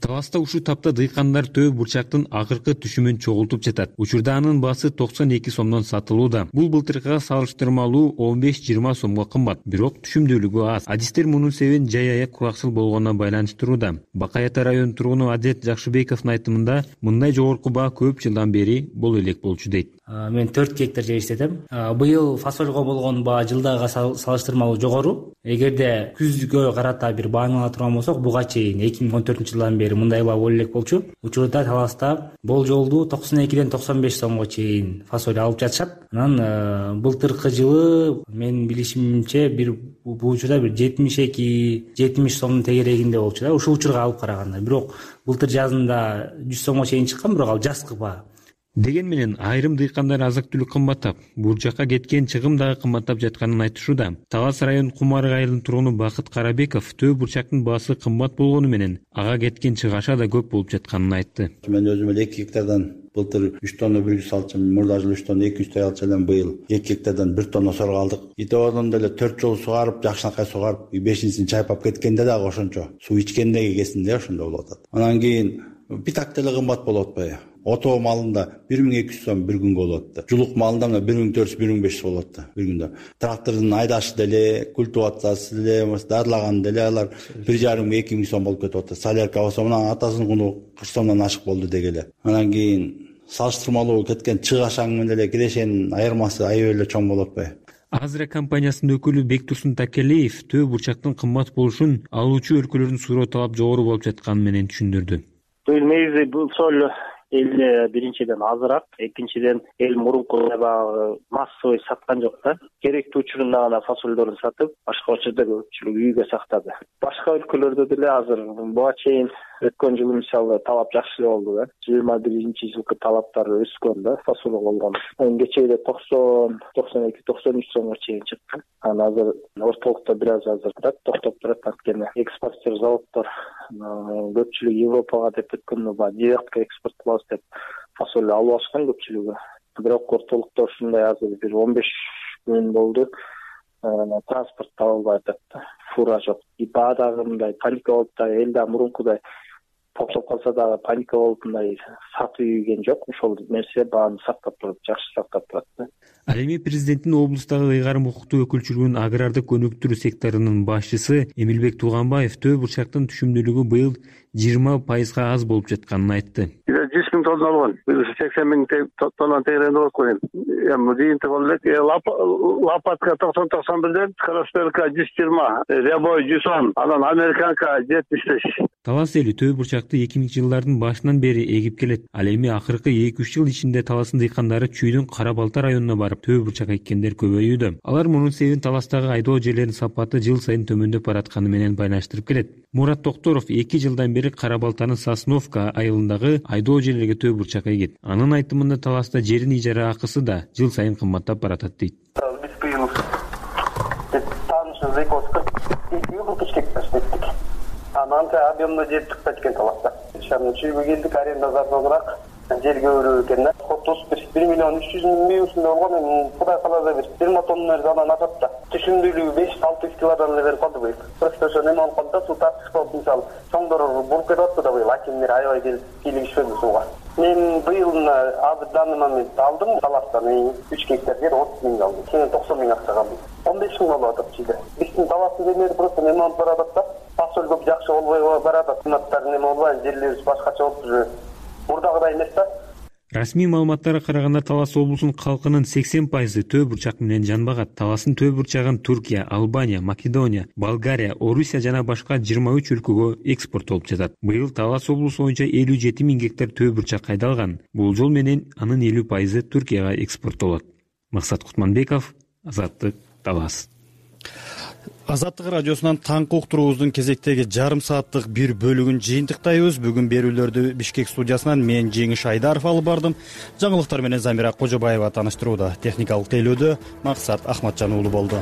Таласта ушул тапта дыйкандар төө бурчактын акыркы түшүмүн чогултуп жатат. Учурда анын баасы токсон эки сомдон сатылууда. Бул былтыркыга салыштырмалуу он беш жыйырма сомго кымбат, бирок түшүмдүүлүгү аз. Адистер мунун себебин жай аяк кургакчыл болгонуна байланыштырууда. Бакай Ата районунун тургуну Адет Жакшыбековдун айтымында, мындай жогорку баа көп жылдан бери боло элек болчу дейт. Мен төрт гектар жер иштетем. Быйыл фасольго болгон баа жылдагыга салыштырмалуу жогору. Эгерде күзгө карата бир бааны ала турган болсок, буга чейин эки миң он төртүнчү жылдан бери мындай баа боло элек болчу. Учурда Таласта болжолду токсон экиден токсон беш сомго чейин фасоль алып жатышат. Анан былтыркы жылы мен билишимче бир бул учурда бир жетимиш эки жетимиш сомдун тегерегинде болчу да, ушул учурга алып караганда. Бирок былтыр жазында жүз сомго чейин чыккан, бирок ал жазкы баа. Деген менен айрым дыйкандар азык-түлүк кымбаттап, бурчакка кеткен чыгым дагы кымбаттап жатканын айтышууда. Талас районунун Кумарык айылынын тургуну Бакыт Карабеков төө бурчактын баасы кымбат болгону менен ага кеткен чыгаша да көп болуп жатканын айтты. Мен өзүм эле эки гектардан былтыр үч тонна бир жүз алчумун, мурда жылы үч тонна эки жүздөй алчу элем, быйыл эки гектардан бир тонна сорго алдык. Итебодон деле төрт жолу сугарып, жакшынакай сугарып, бешинчисин чайпап кеткенде дагы ошончо суу ичкенде кезинде ошондой болуп атат. Анан кийин битак деле кымбат болуп атпайбы? Ото малында бир миң эки жүз сом бир күнгө болуп атты. Жулук малында мына бир миң төрт жүз, бир миң беш жүз болуп атты бир күндө. Трактордун айдашы деле, культивациясы деле, дарылаганы деле алар бир жарым эки миң сом болуп кетип атты. Солярка болсо мына атасынын куну кырк сомдон ашык болду дегеле. Анан кийин салыштырмалуу кеткен чыгашаң менен эле кирешенин айырмасы аябай эле чоң болуп атпайбы? Азра компаниясынын өкүлү Бектурсун Такелеев төө бурчактын кымбат болушун алуучу өлкөлөрдүн суроо талап жогору болуп жатканы менен түшүндүрдү. Негизи бул соль эл биринчиден азыраак, экинчиден эл мурункудай баягы массовый саткан жок да. Керектүү учурунда гана фасольдорун сатып, башка учурда көпчүлүк үйгө сактады. Башка өлкөлөрдө деле азыр буга чейин өткөн жылы мисалы талап жакшы болду да. жыйырма биринчи жылкы талаптар өскөн да, фасолго болгон. Кечээде токсон, токсон эки, токсон үч сомго чейин чыккан. Анан азыр ортолукта бир аз азырыраак токтоп турат, анткени экспортер заводдор көпчүлүк Европага деп өткөн ба директке экспорт кылабыз деп фасоль алып алышкан көпчүлүгү. Бирок ортолукта ушундай азыр бир он беш күн болду. Транспорт табылбай атат да, фура жок. И баа дагы мындай паника болуп да, эл да мурункудай токтоп калса дагы паника болуп мындай сатып ийген жок. Ошол нерсе бааны сактап турат, жакшы сактап турат да. Ал эми президенттин облустагы ыйгарым укуктуу өкүлчүлүгүнүн агрардык өнүктүрүү секторунун башчысы Эмилбек Тууганбаев төө бурчактын түшүмдүүлүгү быйыл жыйырма пайызга аз болуп жатканын айтты. жүз миң тонна алган, сексен миң тонна тегеренде болуп койгон. Эми жыйынтык болуп элек. Лопатка токсон токсон бирден, Кросперка жүз жыйырма, Рябой жүз он, анан Американка жетимиш беш. Талас эли төө бурчакты эки миңинчи жылдардын башынан бери эгип келет. Ал эми акыркы эки үч жыл ичинде Таластын дыйкандары Чүйдүн Кара Балта районуна барып төө бурчак эккендер көбөйүүдө. Алар мунун себебин Таластагы айдоо жерлеринин сапаты жыл сайын төмөндөп баратканы менен байланыштырып келет. Мурат Токторов эки жылдан бери Кара Балтанын Сосновка айылындагы айдоо жерлерге төө бурчак эгет. Анын айтымында Таласта жердин ижара акысы да жыл сайын кымбаттап баратат дейт. Биз быйыл таанышыбыз эки жүз кырк эки кырк үч гектар иштеттик. Анан объемдо жер чыкпайт экен Таласта. Шамын чүйгө келдик, аренда заржабыраак жер көбүрөөк экен да. Отуз бир миллион үч жүз миң ушундай болгон. Эми Кудай кааласа бир жыйырма тонна анан ашат да. Түшүмдүүлүгү беш алты жүз килодан эле берип калды быйыл. Просто ошо неме болуп калды да, суу тартыш болуп, мисалы чоңдор буруп кетип атты да быйыл. Акимдер аябай келип кийлигишпеди сууга. Мен быйыл азыр данный момент алдым Таластан үч гектар жер отуз миң алдым. Сен токсон миң акчага алдым. он беш миң болуп атат чийде. Биздин Таластын жерлери просто неме болуп баратат да. Фасоль көп жакшы болбой баратат. Кыматтар неме болбой, жерлерибиз башкача болуп уже мурдагыдай эмес да. Расмий маалыматтарга караганда Талас облусунун калкынын сексен пайызы төө бурчак менен жанбагат. Таластын төө бурчагын Туркия, Албания, Македония, Болгария, Орусия жана башка жыйырма үч өлкөгө экспорттолуп жатат. Быйыл Талас облусу боюнча элүү жети миң гектар төө бурчак кайдалган. Бул жол менен анын элүү пайызы Туркияга экспорттолот. Максат Кутманбеков, Азаттык, Талас. Азаттык радиосунан таңкы уктуруубуздун кезектеги жарым сааттык бир бөлүгүн жыйынтыктайбыз. Бүгүн берүүлөрдү Бишкек студиясынан мен Жеңиш Айдаров алып бардым. Жаңылыктар менен Замира Кожобаева тааныштырууда. Техникалык тейлөөдө Максат Ахматжан уулу болду.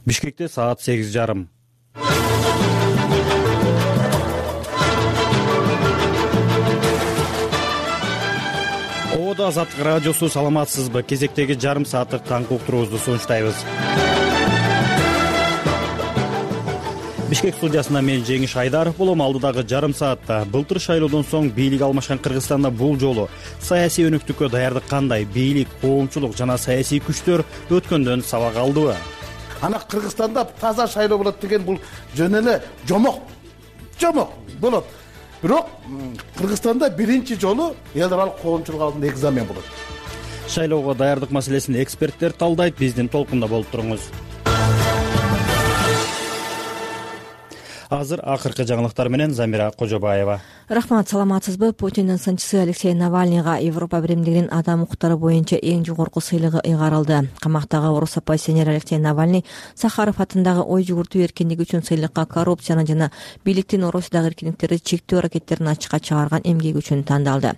Бишкекте саат сегиз жарым. Ободо Азаттык радиосу, саламатсызбы? Кезектеги жарым сааттык таңкы уктуруубузду сунуштайбыз. Бишкек студиясында мен Жеңиш Айдаров болом. Алдыдагы жарым саатта былтыр шайлоодон соң бийлик алмашкан Кыргызстанда бул жолу саясий өнүктүккө даярдык кандай? Бийлик, коомчулук жана саясий күчтөр өткөндөн сабак алдыбы? Ана Кыргызстанда таза шайлоо болот деген бул жөн эле жомок жомок болот. Бирок Кыргызстанда биринчи жолу эл аралык коомчулук алдында экзамен болот. Шайлоого даярдык маселесин эксперттер талдайт. Биздин толкунда болуп туруңуз. Азыр акыркы жаңылыктар менен Замира Кожобаева. Рахмат, саламатсызбы? Путиндин сынчысы Алексей Навальныйга Европа биримдигинин адам укуктары боюнча эң жогорку сыйлыгы ыйгарылды. Камактагы орус оппозиционер Алексей Навальный Сахаров атындагы ой жүгүртүү эркиндиги үчүн сыйлыкка коррупцияны жана бийликтин Орусиядагы эркиндиктерди чектөө аракеттерин ачыкка чыгарган эмгеги үчүн тандалды.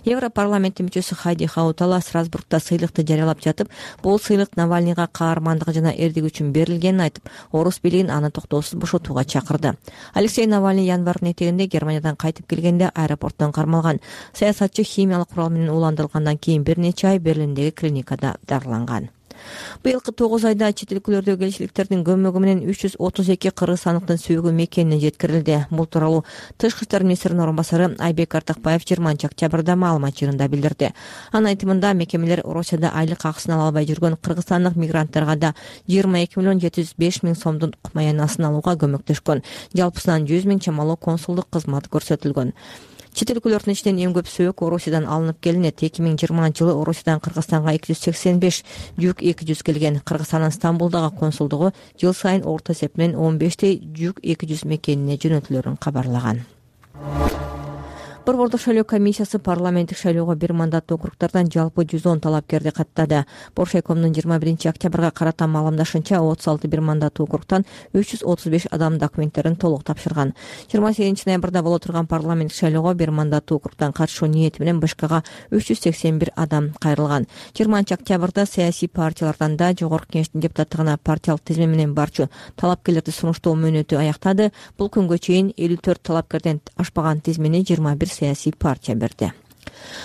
Европарламенттин мүчөсү Хайди Хаутала Страсбургда сыйлыкты жарыялап жатып, бул сыйлык Навальныйга каармандыгы жана эрдиги үчүн берилгенин айтып, орус бийлигин аны токтоосуз бошотууга чакырды. Алексей Навальный январдын этегинде Германиядан кайтып келгенде аэропорттон кармалган. Саясатчы химиялык курал менен ууландырылгандан кийин бир нече ай Берлиндеги клиникада дарыланган. Быйылкы тогуз айда чет өлкөлөрдөгү элчиликтердин көмөгү менен үч жүз отуз эки кыргызстандыктын сүйүгү мекенине жеткирилди. Бул тууралуу Тышкы иштер министринин орун басары Айбек Артакбаев жыйырманчы октябрда маалымат жыйынында билдирди. Анын айтымында мекемелер Орусияда айлык акысын ала албай жүргөн кыргызстандык мигранттарга да жыйырма эки миллион жети жүз беш миң сомдун укмаянасын алууга көмөктөшкөн. Жалпысынан жүз миң чамалуу консулдук кызмат көрсөтүлгөн. Чет өлкөлөрдүн ичинен эң көп сөөк Орусиядан алынып келинет. эки миң жыйырманчы жылы Орусиядан Кыргызстанга эки жүз сексен беш, жүк эки жүз келген. Кыргызстандын Стамбулдагы консулдугу жыл сайын орто эсеп менен он бештей жүк эки жүз мекенине жөнөтүлөрүн кабарлаган. Борбордук шайлоо комиссиясы парламенттик шайлоого бир мандаттуу округдардан жалпы жүз он талапкерди каттады. Боршайкомдун жыйырма биринчи октябрга карата маалымдашынча отуз алты бир мандаттуу округдан үч жүз отуз беш адам документтерин толук тапшырган. жыйырма сегизинчи ноябрда боло турган парламенттик шайлоого бир мандаттуу округдан катышуу ниети менен БШКга үч жүз сексен бир адам кайрылган. жыйырманчы октябрда саясий партиялардан да жогорку кеңештин депутаттыгына партиялык тизме менен барчу талапкерлерди сунуштоо мөөнөтү аяктады. Бул күнгө чейин элүү төрт талапкерден ашпаган тизмени жыйырма бир саясий партия берди.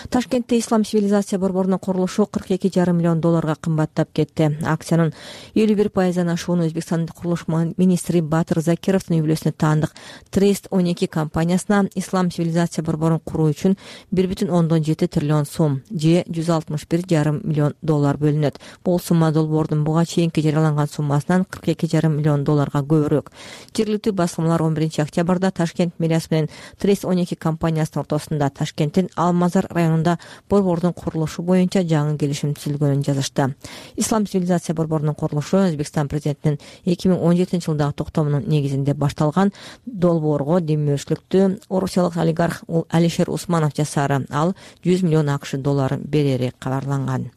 Ташкентте Ислам цивилизация борборунун курулушу кырк эки жарым миллион долларга кымбаттап кетти. Акциянын элүү бир пайыздан ашууну Өзбекстандын курулуш министри Батыр Закировдун үй бүлөсүнө таандык Трест он эки компаниясына Ислам цивилизация борборун куруу үчүн бир бүтүн ондон жети триллион сом же жүз алтымыш бир жарым миллион доллар бөлүнөт. Бул сумма долбоордун буга чейинки жарыяланган суммасынан кырк эки жарым миллион долларга көбүрөөк. Жергиликтүү басылмалар он биринчи октябрда Ташкент мэриясы менен Трест он эки компаниясынын ортосунда Ташкенттин Алмазар районунда борбордун курулушу боюнча жаңы келишим түзүлгөнүн жазышты. Ислам цивилизация борборунун курулушу Өзбекстан президентинин эки миң он жетинчи жылдагы токтомунун негизинде башталган. Долбоорго демөөрчүлүктү орусиялык олигарх Алишер Усманов жасаары. Ал жүз миллион акш доллар берери кабарланган.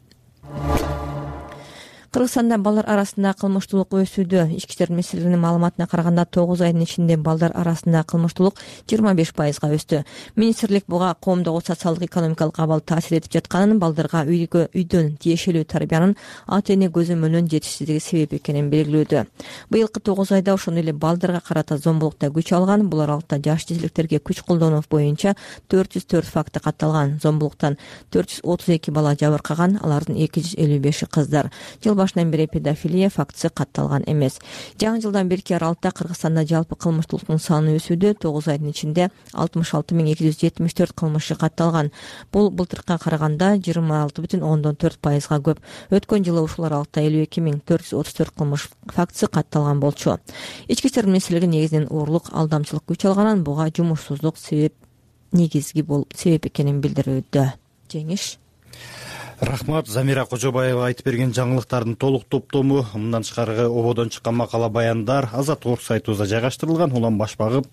Кыргызстанда балдар арасында кылмыштуулук өсүүдө. Ички иштер министрлигинин маалыматына караганда тогуз айдын ичинде балдар арасында кылмыштуулук жыйырма беш пайызга өстү. Министрлик буга коомдогу социалдык экономикалык абал таасир этип жатканын, балдарга үйгө үйдөн тиешелүү тарбиянын ата эне көзөмөлүнүн жетишсиздиги себеп экенин белгилөөдө. Быйылкы тогуз айда ошондой эле балдарга карата зомбулукта күч алган. Бул аралыкта жаш жезиликтерге күч колдонуу боюнча төрт жүз төрт факты катталган. Зомбулуктан төрт жүз отуз эки бала жабыркаган, алардын эки жүз элүү беши кыздар. Жыл башынан бери педофилия фактысы катталган эмес. Жаңы жылдан берки аралыкта Кыргызстанда жалпы кылмыштуулуктун саны өсүүдө. тогуз айдын ичинде алтымыш алты миң эки жүз жетимиш төрт кылмышчы катталган. Бул былтыркыга караганда жыйырма алты бүтүн ондон төрт пайызга көп. Өткөн жылы ушул аралыкта элүү эки миң төрт жүз отуз төрт кылмыш фактысы катталган болчу. Ички иштер министрлиги негизинен уурулук, алдамчылык күч алганын, буга жумушсуздук себеп негизги болуп себеп экенин билдирүүдө. Жеңиш. Рахмат. Замира Кожобаева айтып берген жаңылыктардын толук топтому, мындан тышкары ободон чыккан макала баяндар Азаттык сайтыбызда жайгаштырылган. Улам баш багып,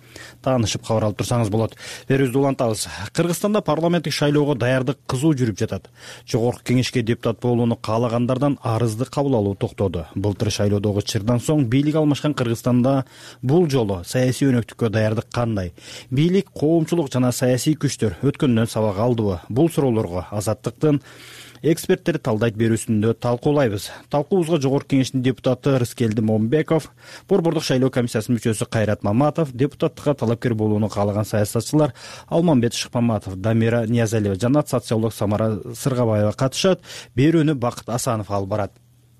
таанышып кабар алып турсаңыз болот. Берүүбүздү улантабыз. Кыргызстанда парламенттик шайлоого даярдык кызуу жүрүп жатат. Жогорку кеңешке депутат болууну каалагандардан арызды кабыл алуу токтоду. Былтыр шайлоодогу чырдан соң бийлик алмашкан Кыргызстанда бул жолу саясий өнөктүккө даярдык кандай? Бийлик, коомчулук жана саясий күчтөр өткөндөн сабак алдыбы? Бул суроолорго Азаттыктын эксперттер талдайт берүүсүндө талкуулайбыз. Талкуубузга Жогорку кеңештин депутаты Рыскелди Момбеков, Борбордук шайлоо комиссиясынын мүчөсү Кайрат Маматов, депутаттыкка талапкер болууну каалаган саясатчылар Алмамбет Шыкмаматов, Дамира Ниязалиева жана социолог Самара Сыргабаева катышат. Берүүнү Бакыт Асанов алып барат.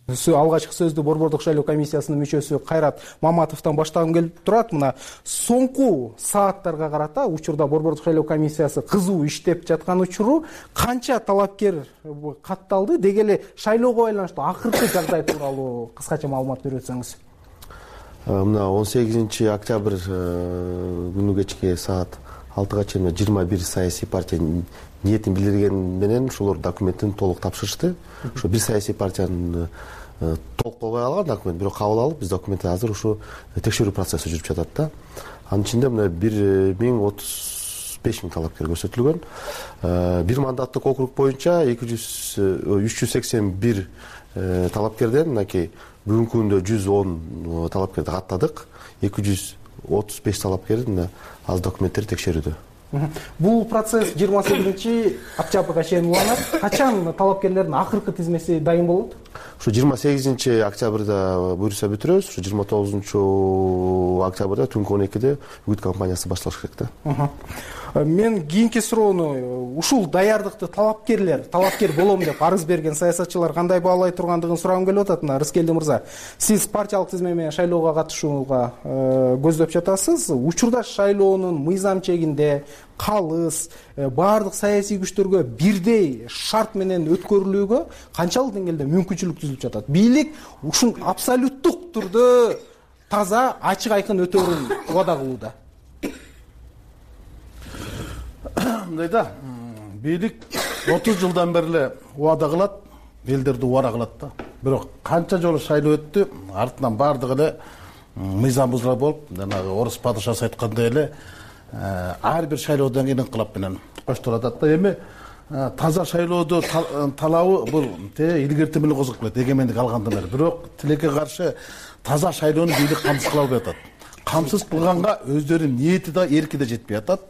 Алгачкы сөздү Борбордук шайлоо комиссиясынын мүчөсү Кайрат Маматовдон баштагым келип турат. Мына соңку сааттарга карата учурда Борбордук шайлоо комиссиясы кызуу иштеп жаткан учуру канча талапкер катталды, деги эле шайлоого байланыштуу акыркы жагдай тууралуу кыскача маалымат берип өтсөңүз. Мына он сегизинчи октябрь күнү кечки саат алтыга чейин жыйырма бир саясий партия ниетин билдирген менен ошолор документтин толук тапшырышты. Ошо бир саясий партиянын толук болбой калган документ, бирок кабыл алып, биз документти азыр ушу текшерүү процесси жүрүп жатат да. Анын ичинде мына бир миң отуз беш миң талапкер көрсөтүлгөн. Бир мандаттык округ боюнча эки жүз үч жүз сексен бир талапкерден мынакей бүгүнкү күндө жүз он талапкерди каттадык. эки жүз отуз беш талапкер мына азыр документтерди текшерүүдө. Бул процесс жыйырма сегизинчи октябрга чейин уланат. Качан талапкерлердин акыркы тизмеси дайын болот? Ушу жыйырма сегизинчи октябрда буюрса бүтүрөбүз. Ушу жыйырма тогузунчу октябрда түнкү он экиде үгүт кампаниясы башталыш керек да. Мен кийинки суроону ушул даярдыкты талапкерлер, талапкер болом деп арыз берген саясатчылар кандай баалай тургандыгын сурагым келип атат. Мына Рыскелди мырза, сиз партиялык тизме менен шайлоого катышууга көздөп жатасыз. Учурда шайлоонун мыйзам чегинде калыс баардык саясий күчтөргө бирдей шарт менен өткөрүлүүгө канчалык деңгээлде мүмкүнчүлүк түзүлүп жатат? Бийлик ушун абсолюттук түрдө таза, ачык айкын өтөөрүн убада кылууда. Мындай да, бийлик отуз жылдан бери эле убада кылат, элдерди убада кылат да. Бирок канча жолу шайлоо өттү, артынан баардыгы эле мыйзам бузула болуп, жанагы орус падышасы айткандай эле ар бир шайлоодон кийин инкылап менен коштолот да. Эми таза шайлоодо талабы бул илгертим менен козгоп келет, эгемендик алгандан бери. Бирок тилекке каршы таза шайлоону бийлик камсыз кыла албай атат. Камсыз кылганга өздөрүнүн ниети да, эрки да жетпей атат.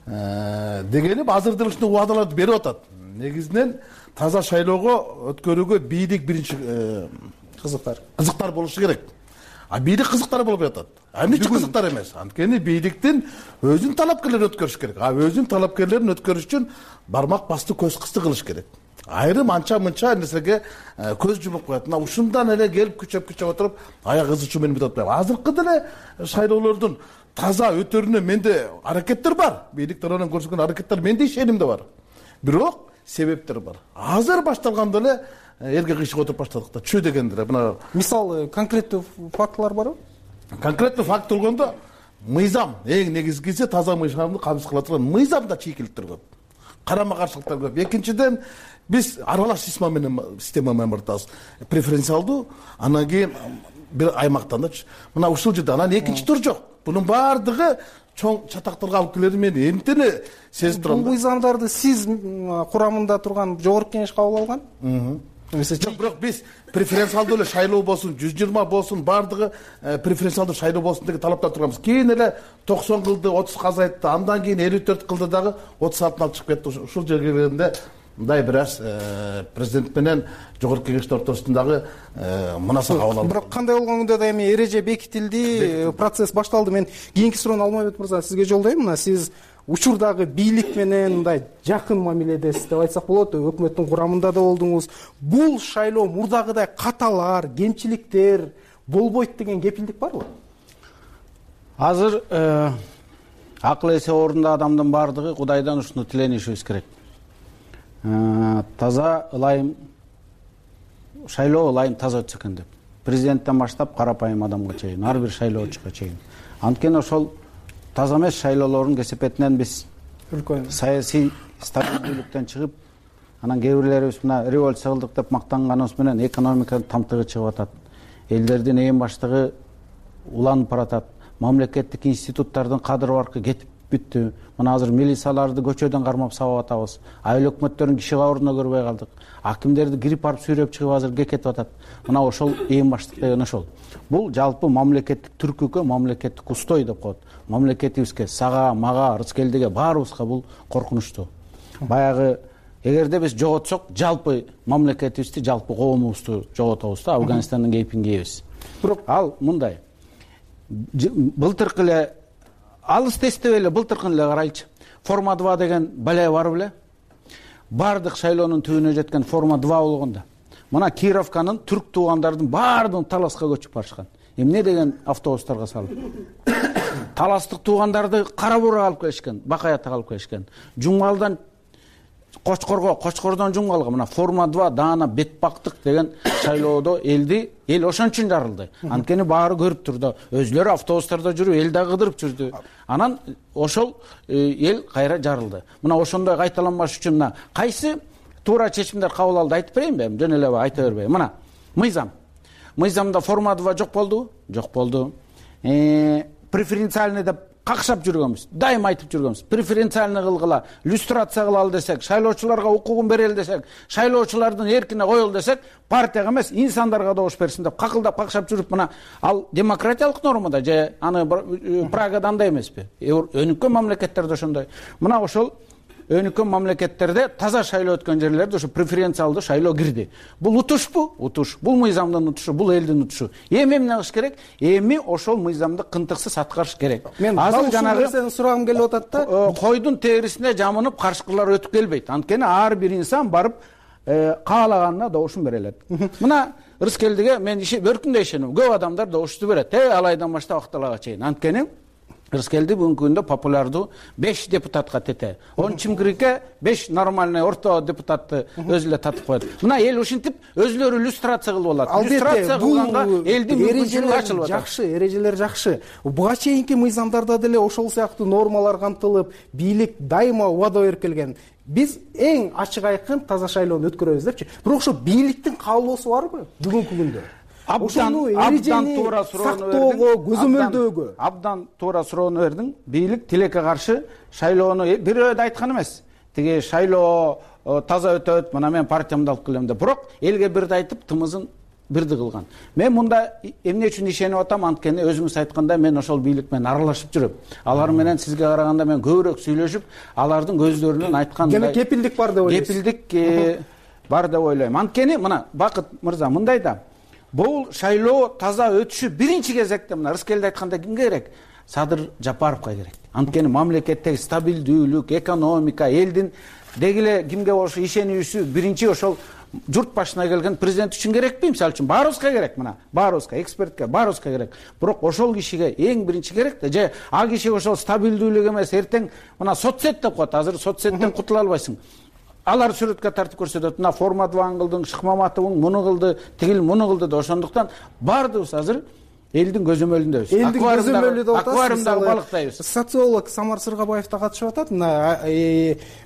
Дегени азыр деле ушундай убадаларды берип атат. Негизинен таза шайлоого өткөрүүгө бийлик биринчи кызыктар кызыктар болушу керек. А бийлик кызыктар болбой атат. Эмнечи кызыктар эмес? Анткени бийликтин өзүнүн талапкерлерин өткөрүш керек. А өзүнүн талапкерлерин өткөрүш үчүн бармак басты, көз кысты кылыш керек. Айрым анча-мынча нерсеге көз жумуп коет. Мына ушундан эле келип күчөп-күчөп отуруп, аяк ызычуу менен бүтүп атпайбы? Азыркы деле шайлоолордун таза өтөрүнө менде аракеттер бар. Бийлик тарабынан көрсөткөн аракеттер менде ишеним да бар. Бирок себептер бар. Азыр башталганда эле элге кыйшык отуруп баштадык да. Чү дегендер. Мына мисалы конкреттүү фактылар барбы? Конкреттүү факт болгондо мыйзам, эң негизгиси таза мыйзамды камсыз кыла турган мыйзамда чийкиликтер көп. Карама каршылыктар көп. Экинчиден биз аралаш система менен система менен бартабыз. Преференциалдуу, анан кийин бир аймактан да. Мына ушул жерде анан экинчи тур жок. Бунун баардыгы чоң чатактарга алып келери мен эмтени сезип турам. Бул мыйзамдарды сиз курамында турган жогорку кеңеш кабыл алган? жок, бирок биз преференциалдуу эле шайлоо болсун, жүз жыйырма болсун, баардыгы преференциалдуу шайлоо болсун деген талаптар турганбыз. Кийин эле токсон кылды, отузга азайтты, андан кийин элүү төрт кылды дагы отуз алтыны алып чыгып кетти. Ушул жерге келгенде мындай бир аз президент менен жогорку кеңештин ортосундагы мунаса кабыл алды. Бирок кандай болгондо да эми эреже бекитилди, процесс башталды. Мен кийинки суроону Алмайбек мырза сизге жолдойм. Мына сиз учурдагы бийлик менен мындай жакын мамиледесиз деп айтсак болот, өкмөттүн курамында да болдуңуз. Бул шайлоо мурдагыдай каталар, кемчиликтер болбойт деген кепилдик барбы? Азыр акыл эси орунда адамдын баардыгы Кудайдан ушуну тиленишибиз керек. Таза ылайым шайлоо ылайым таза өтсө экен деп. Президенттен баштап карапайым адамга чейин, ар бир шайлоочуга чейин. Анткени ошол таза эмес шайлоолордун кесепетинен биз саясий стабилдүүлүктөн чыгып, анан кээ бирлерибиз мына революция кылдык деп мактанганыбыз менен экономиканын тамтыгы чыгып атат. Элдердин эң баштыгы уланып баратат. Мамлекеттик институттардын кадыр баркы кетип бүттү. Мына азыр милицияларды көчөдөн кармап сабап атабыз. Айыл өкмөттөрүн киши кабырына көрбөй калдык. Акимдерди кирип барып сүйрөп чыгып азыр кетип атат. Мына ошол эң баштык деген ошол. Бул жалпы мамлекеттик түркүккө, мамлекеттик устой деп коет. Мамлекетибизге, сага, мага, Рыскелдиге баарыбызга бул коркунучтуу. Баягы эгерде биз жоготсок, жалпы мамлекетибизди, жалпы коомубузду жоготобуз да, Афганистандын кейпин кийебиз. Бирок ал мындай. Былтыркы эле алыс тестеп эле былтыркын эле карайлычы. Форма два деген балай бар беле? Бардык шайлоонун түбүнө жеткен форма два болгондо. Мына Кировканын түрк туугандардын баардыгын Таласка көчүп барышкан. Эмне деген автобустарга салып. Таластык туугандарды Кара Бурга алып келишкен, Бакаятка алып келишкен. Жумгалдан Кочкорго, Кочкордон Жумгалга мына форма два даана бетпактык деген шайлоодо элди, эл ошон үчүн жарылды. Анткени баары көрүп турду. Өзлөрү автобустарда жүрүп, эл да кыдырып жүрдү. Анан ошол эл кайра жарылды. Мына ошондой кайталанбаш үчүн мына кайсы туура чечимдер кабыл алды айтып берейинби? Жөн эле айта бербей. Мына мыйзам. Мыйзамда форма два жок болду? Жок болду. Э, преференциальный деп какшап жүргөнбүз. Дайым айтып жүргөнбүз. Преференциальный кылгыла, люстрация кылалы десек, шайлоочуларга укугун берели десек, шайлоочулардын эркине коелу десек, партияга эмес, инсандарга добуш берсин деп какылдап какшап жүрүп, мына ал демократиялык нормада же аны Прагада андай эмеспи? Өнүккөн мамлекеттерде ошондой. Мына ошол өнүккөн мамлекеттерде таза шайлоо өткөн жерлерде ошо преференциалдуу шайлоо кирди. Бул утушпу? Утуш. Бул мыйзамдын утушу, бул элдин утушу. Эми эмне кылыш керек? Эми ошол мыйзамды кынтыксыз аткарыш керек. Мен азыр жанагы сенин сурагым келип атат да. Койдун терисине жамынып каршыкылар өтүп келбейт. Анткени ар бир инсан барып каалаганына добушун бере алат. Мына Рыскелдиге мен бөркүндө ишенем. Көп адамдар добушту берет. Э, алайдан баштап акталага чейин. Анткени Рыскелди бүгүнкү күндө популярдуу беш депутатка тете. Он Чимкирике беш нормальный орто депутатты өзү эле татып коет. Мына эл ушинтип өзүлөрү люстрация кылып алат. Люстрация кылганга элдин мүмкүнчүлүгү ачылып атат. Жакшы, эрежелер жакшы. Буга чейинки мыйзамдарда деле ошол сыяктуу нормалар камтылып, бийлик дайыма убада берип келген. Биз эң ачык айкын таза шайлоону өткөрөбүз депчи. Бирок ошо бийликтин каалоосу барбы бүгүнкү күндө? Абдан туура суроону көзөмөлдөөгө. Абдан туура суроону бердиң. Бийлик тилекке каршы шайлоону бирөөдө айткан эмес. Тиги шайлоо таза өтөт, мына мен партиямды алып келем деп. Бирок элге бирди айтып, тымызын бирди кылган. Мен мында эмне үчүн ишенип атам? Анткени өзүңүз айткандай мен ошол бийлик менен аралашып жүрөм. Алар менен сизге караганда мен көбүрөөк сүйлөшүп, алардын көздөрүнөн айткан кепилдик бар деп ойлойсуз. Кепилдик бар деп ойлойм. Анткени мына Бакыт мырза мындай да. Бул шайлоо таза өтүшү биринчи кезекте мына Рыскелди айткандай кимге керек? Садыр Жапаровго керек. Анткени мамлекеттеги стабилдүүлүк, экономика, элдин дегиле кимге болушу ишенүүсү биринчи ошол журт башына келген президент үчүн керекпи? Мисалы үчүн баарыбызга керек мына. Баарыбызга, экспертке, баарыбызга керек. Бирок ошол кишиге эң биринчи керек да, же ал киши ошол стабилдүүлүк эмес, эртең мына соцсет деп коет. Азыр соцсеттен кутула албайсың. Алар сүрөткө тартып көрсөтөт. Мына форма два кылдың, Шыкмаматовың муну кылды, тигил муну кылды да ошондуктан бардыбыз азыр элдин көзөмөлүндөбүз. Элдин көзөмөлү деп атасыз. Аквариумда балыктайбыз. Социолог Самар Сыргабаев да катышып атат. Мына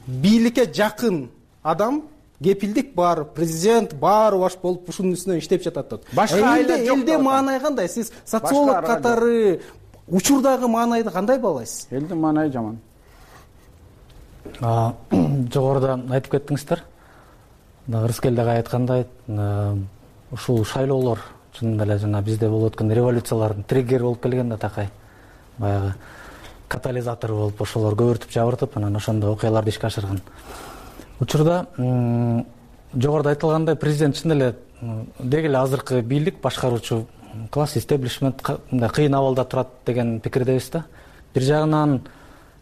бийликке жакын адам кепилдик бар, президент баары баш болуп ушунун үстүнөн иштеп жатат деп. Башка элде маанай кандай? Сиз социолог катары учурдагы маанайды кандай баалайсыз? Элдин маанайы жаман. Жогоруда айтып кеттиңиздер. Рыскел дагы айткандай, ушул шайлоолор чынында эле жана бизде болуп өткөн революциялардын триггери болуп келген да такай. Баягы катализатор болуп ошолор көбүртүп жабыртып, анан ошондо окуяларды ишке ашырган учурда жогоруда айтылгандай президент чын эле деги эле азыркы бийлик, башкаруучу класс, истеблишмент мындай кыйын абалда турат деген пикирдебиз да. Бир жагынан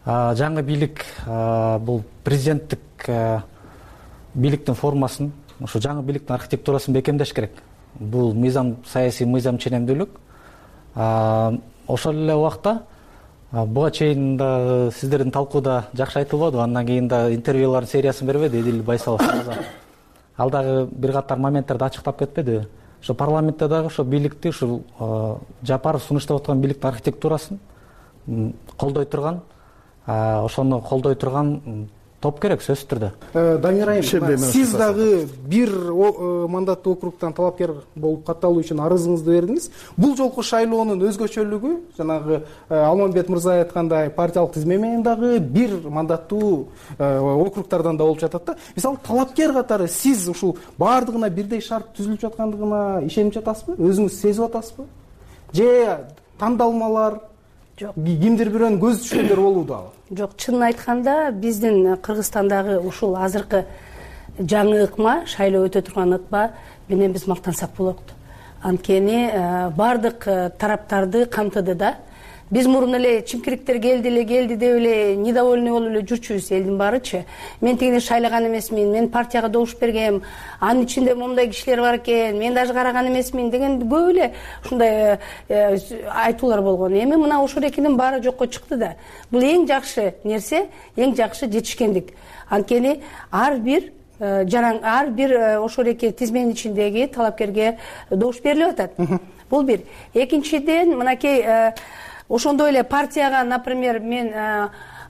жаңы бийлик бул президенттик бийликтин формасын, ошо жаңы бийликтин архитектурасын бекемдеш керек. Бул мыйзам, саясий мыйзам ченемдүүлүк. Ошол эле убакта буга чейин да сиздердин талкууда жакшы айтылбадыбы, андан кийин да интервьюлардын сериясын бербеди Эдил Байсалов. Ал дагы бир катар моменттерди ачыктап кетпедиби? Ошо парламентте дагы ошо бийликти, ушул Жапаров сунуштап аткан бийликтин архитектурасын колдой турган, ошону колдой турган топ керек сөзсүз түрдө. Дамир айым, сиз дагы бир мандаттуу округтан талапкер болуп катталуу үчүн арызыңызды бердиңиз. Бул жолку шайлоонун өзгөчөлүгү, жанагы Алмамбет мырза айткандай, партиялык тизме менен дагы бир мандаттуу округтардан да болуп жатат да. Мисалы, талапкер катары сиз ушул баардыгына бирдей шарт түзүлүп жаткандыгына ишенип жатасызбы? Өзүңүз сезип атасызбы? Же тандалмалар, кимдир бирөөнүн көзү түшкөндөр болууда? Жок, чынын айтканда биздин Кыргызстандагы ушул азыркы жаңы ыкма, шайлоо өтө турган ыкма менен биз мактансак болот. Анткени баардык тараптарды камтыды да. Биз мурун эле чимкириктер келди эле, келди деп эле недовольный болуп эле жүрчүбүз, элдин баарычы. Мен тигине шайлаган эмесмин, мен партияга добуш бергем, анын ичинде мондай кишилер бар экен, мен даже караган эмесмин деген көп эле ушундай айтуулар болгон. Эми мына ошол экинин баары жокко чыкты да. Бул эң жакшы нерсе, эң жакшы жетишкендик. Анткени ар бир жаран, ар бир ошол эки тизменин ичиндеги талапкерге добуш берилип атат. Бул бир. Экинчиден, мынакей ошондой эле партияга, например, мен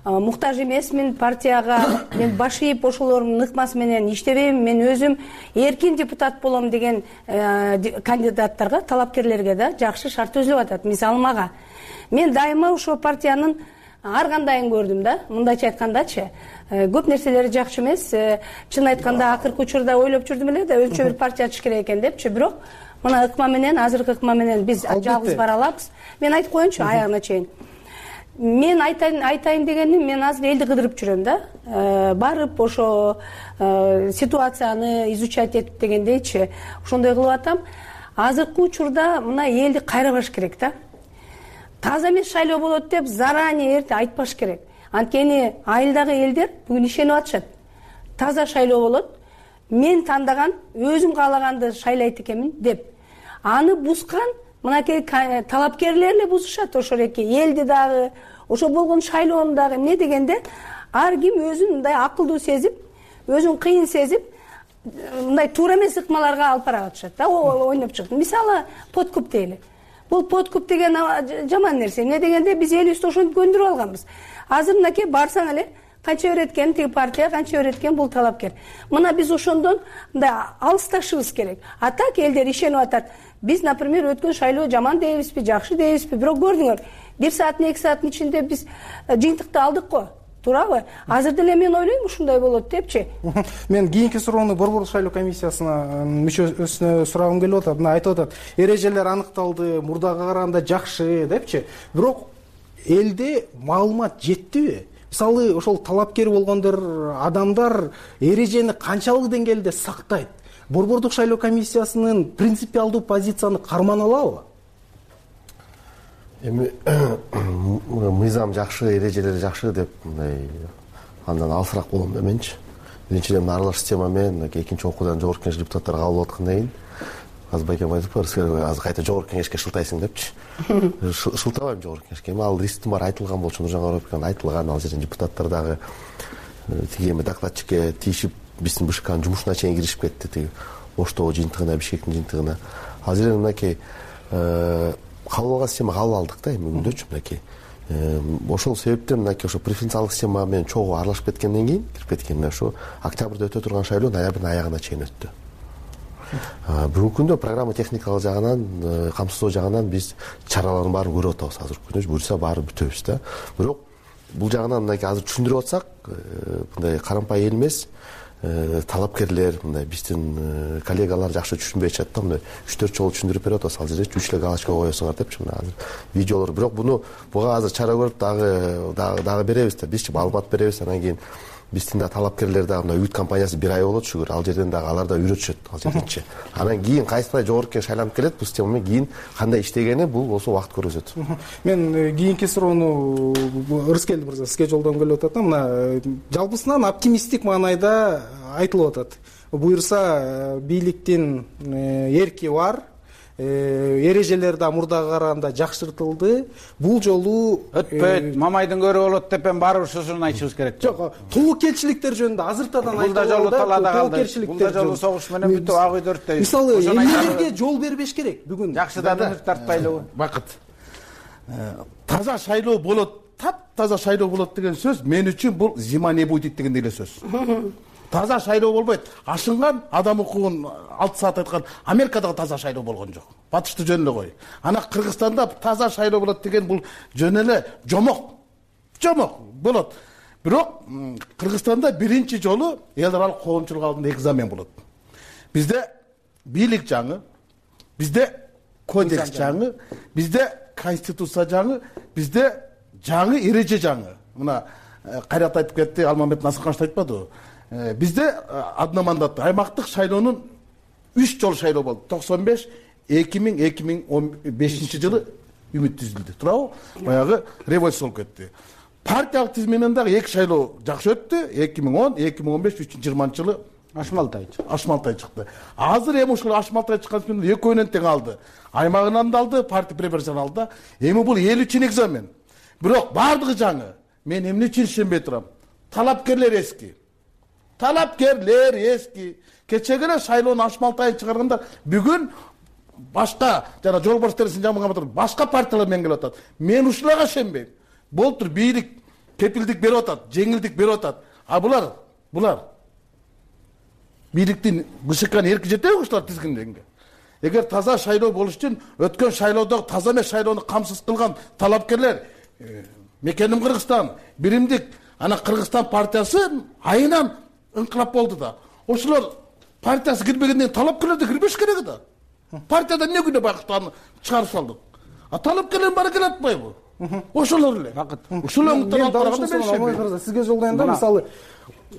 муктаж эмесмин, партияга мен баш ийип ошолордун ыкмасы менен иштебейм, мен өзүм эркин депутат болом деген кандидаттарга, талапкерлерге да жакшы шарт түзүлүп атат. Мисалы мага. Мен дайыма ошол партиянын ар кандайын көрдүм да. Мындайча айткандачы, көп нерселери жакшы эмес. Чын айтканда акыркы учурда ойлоп жүрдүм эле да, өзүнчө бир партия ачыш керек экен депчи, бирок мына ыкма менен, азыркы ыкма менен биз жалгыз бара алабыз. Мен айтып коеюнчу аягына чейин. Мен айтайын, айтайын дегеним, мен азыр элди кыдырып жүрөм да. Барып ошо ситуацияны изучать этип дегендейчи, ошондой кылып атам. Азыркы учурда мына элди кайрабаш керек да. Таза эмес шайлоо болот деп заранее эрте айтпаш керек. Анткени айылдагы элдер бүгүн ишенип атышат. Таза шайлоо болот. Мен тандаган, өзүм каалаганды шайлайт экенмин деп. Аны бузган мынакей талапкерлер эле бузушат ошол эки элди дагы, ошо болгон шайлоону дагы. Эмне дегенде ар ким өзүн мындай акылдуу сезип, өзүн кыйын сезип, мындай туура эмес ыкмаларга алып бара атышат да, ойноп чыгып. Мисалы, подкуп дейли. Бул подкуп деген жаман нерсе. Эмне дегенде биз элибизди ошентип көндүрүп алганбыз. Азыр мынакей барсаң эле канча өйрөткөн тиги партия, канча өйрөткөн бул талапкер. Мына биз ошондон мындай алысташыбыз керек. А так элдер ишенип атат. Биз, например, өткөн шайлоо жаман дейбизби, жакшы дейбизби, бирок көрдүңөр, бир сааттын, эки сааттын ичинде биз жыйынтыкты алдык го. Туурабы? Азыр деле мен ойлойм ушундай болот депчи. Мен кийинки суроону Борбор шайлоо комиссиясынын мүчөсүнө сурагым келип атат. Мына айтып атат, эрежелер аныкталды, мурдага караганда жакшы депчи. Бирок элде маалымат жеттиби? Мисалы, ошол талапкер болгондор адамдар эрежени канчалык деңгээлде сактайт? Борбордук шайлоо комиссиясынын принципиалдуу позицияны кармана алабы? Эми мыйзам жакшы, эрежелери жакшы деп мындай андан алысыраак болом да менчи. Биринчиден аралаш система менен экинчи окуудан жогорку кеңеш депутаттары кабыл алып аткандан кийин азыр байкем айтыппы, азыр кайта жогорку кеңешке шылтайсың депчи. Шылтабайм жогорку кеңешке. Эми ал рисктин баары айтылган болчу, Нуржан Караповдун айтылган, ал жерден депутаттар дагы тиги эми докладчикке тийишип, биздин БШКнын жумушуна чейин киришип кетти, тиги Оштоо жыйынтыгына, Бишкектин жыйынтыгына. Ал жерден мынакей кабыл алган система кабыл алдык да эми күндөчү мынакей. Ошол себептен мынакей ошо преференциалдык система менен чогуу аралашып кеткенден кийин, кирип кеткенден ошо октябрда өтө турган шайлоо ноябрдын аягына чейин өттү. Бүгүнкү күндө программа техникалык жагынан, камсыздоо жагынан биз чаралардын баарын көрүп атабыз. Азыркы күндө буюрса баары бүтөбүз да. Бирок бул жагынан мынакей азыр түшүндүрүп атсак, мындай карампай эл эмес, талапкерлер мындай биздин коллегалар жакшы түшүнбөй атышат да, мындай үч төрт жолу түшүндүрүп берип атабыз. Ал жерде үч эле галочка коесуңар депчи мына азыр видеолор. Бирок буну буга азыр чара көрүп дагы дагы беребиз да, бизчи маалымат беребиз. Анан кийин биздин да талапкерлер дагы мына үт компаниясы бир ай болот шүгүр. Ал жерден дагы алар да үйрөтүшөт ал жерденчи. Анан кийин кайсына жогорку шайланып келет, бул система менен кийин кандай иштегени бул болсо убакыт көрсөтөт. Мен кийинки суроону Рыскелди мырза сизге жолдогум келип атат. Мына жалпысынан оптимисттик маанайда айтылып атат. Буюрса бийликтин эрки бар, эрежелер да мурдага караганда жакшыртылды. Бул жолу өтпөйт, мамайдын көрү болот деп эми барып ушусун айтышыбыз керек. Жок, тобокелчиликтер жөнүндө азыртадан айтылды. Бул да жолу талаада калды. Бул да жолу согуш менен бүтүп ак үйдө өрттөйт. Мисалы эмнелерге жол бербеш керек бүгүн? Жакшыдан үмүт тартпайлыбы? Бакыт. Таза шайлоо болот, таптаза шайлоо болот деген сөз мен үчүн бул зима не будет деген эле сөз. Таза шайлоо болбойт. Ашынган адам укугун алты саат айткан Америкадагы таза шайлоо болгон жок. Батышты жөн эле кой. Ана Кыргызстанда таза шайлоо болот деген бул жөн эле жомок. Жомок болот. Бирок Кыргызстанда биринчи жолу эл аралык коомчулук алдында экзамен болот. Бизде бийлик жаңы, бизде кодекс жаңы, бизде конституция жаңы, бизде жаңы эреже жаңы. Мына кайрат айтып кетти, Алмамбет Насырканович айтпадыбы? Бизде одномандаттуу аймактык шайлоонун үч жолу шайлоо болду. токсон беш, эки миң, эки миң он бешинчи жылы үмүт түзүлдү. Туурабы? Баягы революция болуп кетти. Партиялык тизменен дагы эки шайлоо жакшы өттү. эки миң он, эки миң он беш, үч миң жыйырманчы жылы Ашмалтай чыкты. Ашмалтай чыкты. Азыр эми ушул Ашмалтай чыккан менен экөөнөн тең алды. Аймагынан да алды, партия преференцияны алды. Эми бул эл үчүн экзамен. Бирок бардыгы жаңы. Мен эмне үчүн ишенбей турам? Талапкерлер эски. Талапкерлер эски. Кечеге эле шайлоонун Ашмалтайын чыгаргандар бүгүн башка жана жолбарс терисин жамыгап туруп башка партиялар менен келип атат. Мен ушуларга ишенбейм. Болтур бийлик кепилдик берип атат, жеңилдик берип атат. А булар, булар бийликтин БШКнын эрки жетеби ушулар тизгинденге? Эгер таза шайлоо болуш үчүн өткөн шайлоодогу таза эмес шайлоону камсыз кылган талапкерлер мекеним Кыргызстан, биримдик ана Кыргызстан партиясы айынан ыңкылап болду да. Ошолор партиясы кирбегенден талапкерлер да кирбеш керек да. Партиядан эмне күнөө бакыттан чыгарып салдык. А талапкерлердин баары келе атпайбы? Ошолор эле. Ушул оңуттан алып караганда сизге жолдойм да, мисалы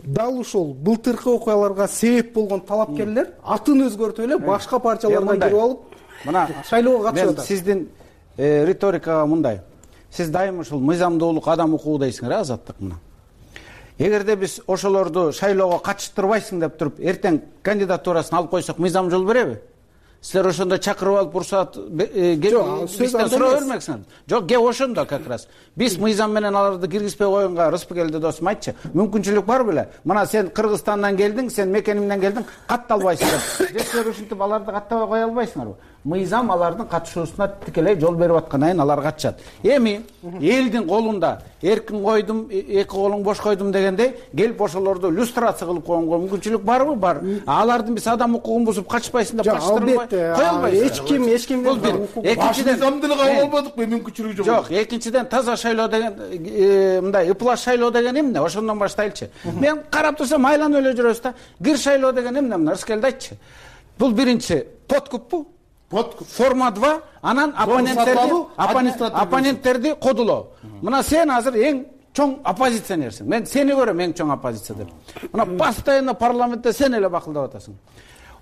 дал ушул былтыркы окуяларга себеп болгон талапкерлер атын өзгөртүп эле башка партиялардан кирип алып, мына шайлоого катышып атат. Сиздин риторикага мындай. Сиз дайым ушул мыйзамдуулук, адам укугу дейсиңер, Азаттык мына. Эгерде биз ошолорду шайлоого катыштырбайсың деп туруп, эртең кандидатурасын алып койсок, мыйзам жол береби? Силер ошондо чакырып алып уруксаат бизден сурап бермексиңер. Жок, кеп ошондо как раз. Биз мыйзам менен аларды киргизбей койгонго Рыспыкелди досум айтчы. Мүмкүнчүлүк бар беле? Мына сен Кыргызстандан келдиң, сен мекенимден келдиң, катталбайсың деп. Силер ушинтип аларды каттабай кое албайсыңарбы? Мыйзам алардын катышуусуна тикелей жол берип аткандан кийин алар катышат. Эми элдин колунда эркин койдум, эки колуң бош койдум дегендей, келип ошолорду люстрация кылып койгонго мүмкүнчүлүк барбы? Бар. Алардын биз адам укугун бузуп качпайсың деп качтырбай кое албайсыз. Эч ким, эч ким бул бир. Экинчиден мыйзамдуулукка болбодук, мүмкүнчүлүгү жок. Жок, экинчиден таза шайлоо деген мындай ыплас шайлоо деген эмне? Ошондон баштайлычы. Мен карап турсам айланып эле жүрөбүз да. Кир шайлоо деген эмне? Мына Рыскелди айтчы. Бул биринчи подкуппу? Форма два, анан оппоненттерди оппоненттерди кодулоо. Мына сен азыр эң чоң оппозиционерсиң. Мен сени көрөм эң чоң оппозиция деп. Мына постоянно парламентте сен эле бакылдап атасың.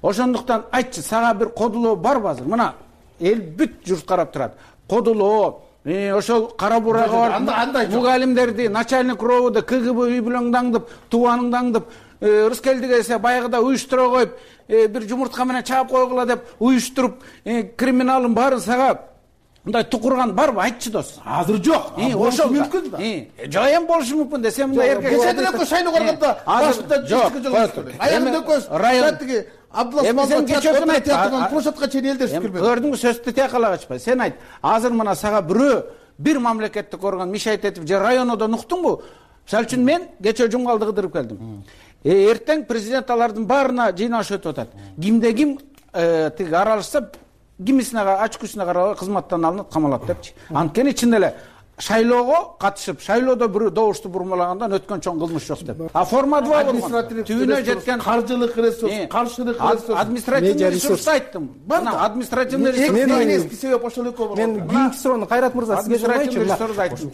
Ошондуктан айтчы, сага бир кодулоо барбы азыр? Мына эл бүт журт карап турат. Кодулоо, ошол кара бурага бар мугалимдерди, начальник ровду, КГБ үй бүлөңдаңдып, тубаныңдаңдып, Рыскелдиге эсе баягыда уюштура коюп, бир жумуртка менен чаап койгула деп уюштуруп, криминалдын баарын сага мындай тукурган барбы? Айтчы дос. Азыр жок. Болушу мүмкүн да. Жок, эми болушу мүмкүн да. Сен мындай эркек. Кечеде эле шайлоо кылганда башында жок. Аягында көз. Таттыгы Абдулла Маматовдун айтып площадка чейин элдер сүрүп келбеди. Көрдүңбү, сөздү тиякала качпай. Сен айт. Азыр мына сага бирөө бир мамлекеттик орган мишайт этип же районодон уктуңбу? Мисалы үчүн мен кечээ Жумгалды кыдырып келдим. Эртең президент алардын баарына жыйналыш өтүп атат. Кимде ким тиги аралашса, кимисине ачкысына карабай кызматтан алынып камалат депчи. Анткени чын эле шайлоого катышып шайлоодо бирөө добушту бурмалагандан өткөн чоң кылмыш жок деп. А форма два болгон түбүнө жеткен каржылык ресурс, каршылык ресурс, административный ресурсту айттым. Мына административный ресурс себеп ошол экөө болгон. Мен кийинки суроону Кайрат мырза сизге сурайчы.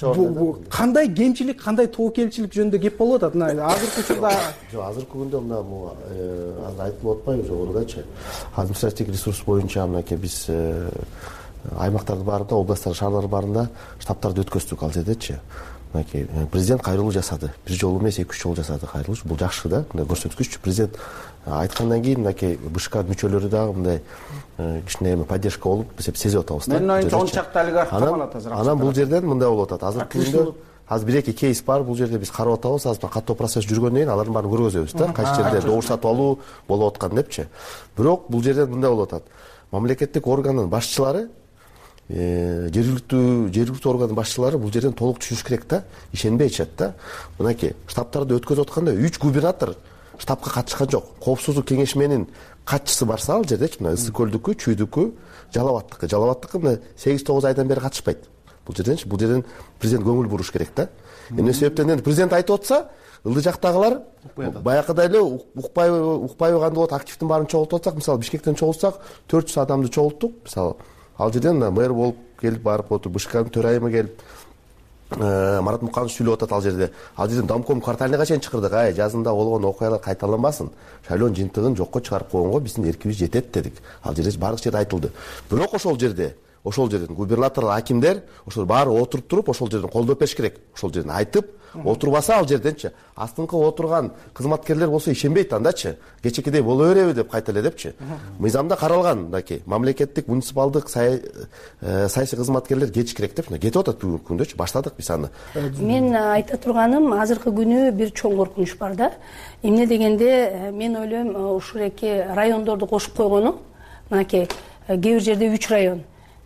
Кандай кемчилик, кандай тобокелчилик жөнүндө кеп болуп атат? Мына азыркы учурда жок, азыркы күндө мына азыр айтылып атпайбы жогорудачы. Административдик ресурс боюнча мынакей биз аймактардын баарында, областтар, шаарлардын баарында штабтарды өткөздүк ал жердечи. Мынакей президент кайрылуу жасады. Бир жолу эмес, эки үч жолу жасады кайрылуу. Бул жакшы да, мындай көрсөткүч. Президент айткандан кийин мынакей БШК мүчөлөрү дагы мындай кичине эми поддержка болуп, биз сезип атабыз да. Менин оюмча он чакты олигарх камалат азыр. Анан бул жерден мындай болуп атат. Азыркы күндө азыр бир эки кейс бар, бул жерде биз карап атабыз. Азыр каттоо процесс жүргөндөн кийин алардын баарын көргөзөбүз да. Кайсы жерде добуш сатып алуу болуп аткан депчи. Бирок бул жерде мындай болуп атат. Мамлекеттик органдын башчылары жергиликтүү жергиликтүү органдын башчылары бул жерден толук түшүнүш керек да, ишенбей айтышат да. Мынакей штабтарды өткөзүп атканда үч губернатор штабка катышкан жок. Коопсуздук кеңешменин катчысы барса ал жердечи, мына Ысык көлдүкү, Чүйдүкү, Жалал-Абадтыкы. Жалал-Абадтыкы мына сегиз тогуз айдан бери катышпайт. Бул жерденчи, бул жерден президент көңүл буруш керек да. Эмне себептен енді президент айтып атса, ылдый жактагылар баягыдай эле укпай укпайбы кандай болот, активдин баарын чогултуп атсак, мисалы Бишкектен чогултсак төрт жүз адамды чогулттук. Мисалы ал жерден мэр болуп келип барып отур, БШКнын төрайымы келип, Марат Муканов сүйлөп атат ал жерде. Ал жерден домком кварталына чейин чакырдык. Ай, жазында болгон окуялар кайталанбасын. Шайлоонун жыйынтыгын жокко чыгарып койгонго биздин эркибиз жетет дедик. Ал жерде баардык жерде айтылды. Бирок ошол жерде ошол жерден губернаторлор, акимдер ошол баары отуруп туруп ошол жерден колдоо бериш керек. Ошол жерден айтып, отурбаса ал жерденчи астыңкы отурган кызматкерлер болсо ишенбейт андачы. Кечекедей боло береби деп кайта эле депчи. Мыйзамда каралган мынакей мамлекеттик муниципалдык саясий кызматкерлер кетиш керек деп кетип атат бүгүнкү күндөчү. Баштадык биз аны. Мен айта турганым, азыркы күнү бир чоң коркунуч бар да. Эмне дегенде мен ойлойм, ушул эки райондорду кошуп койгону, мынакей кээ бир жерде үч район,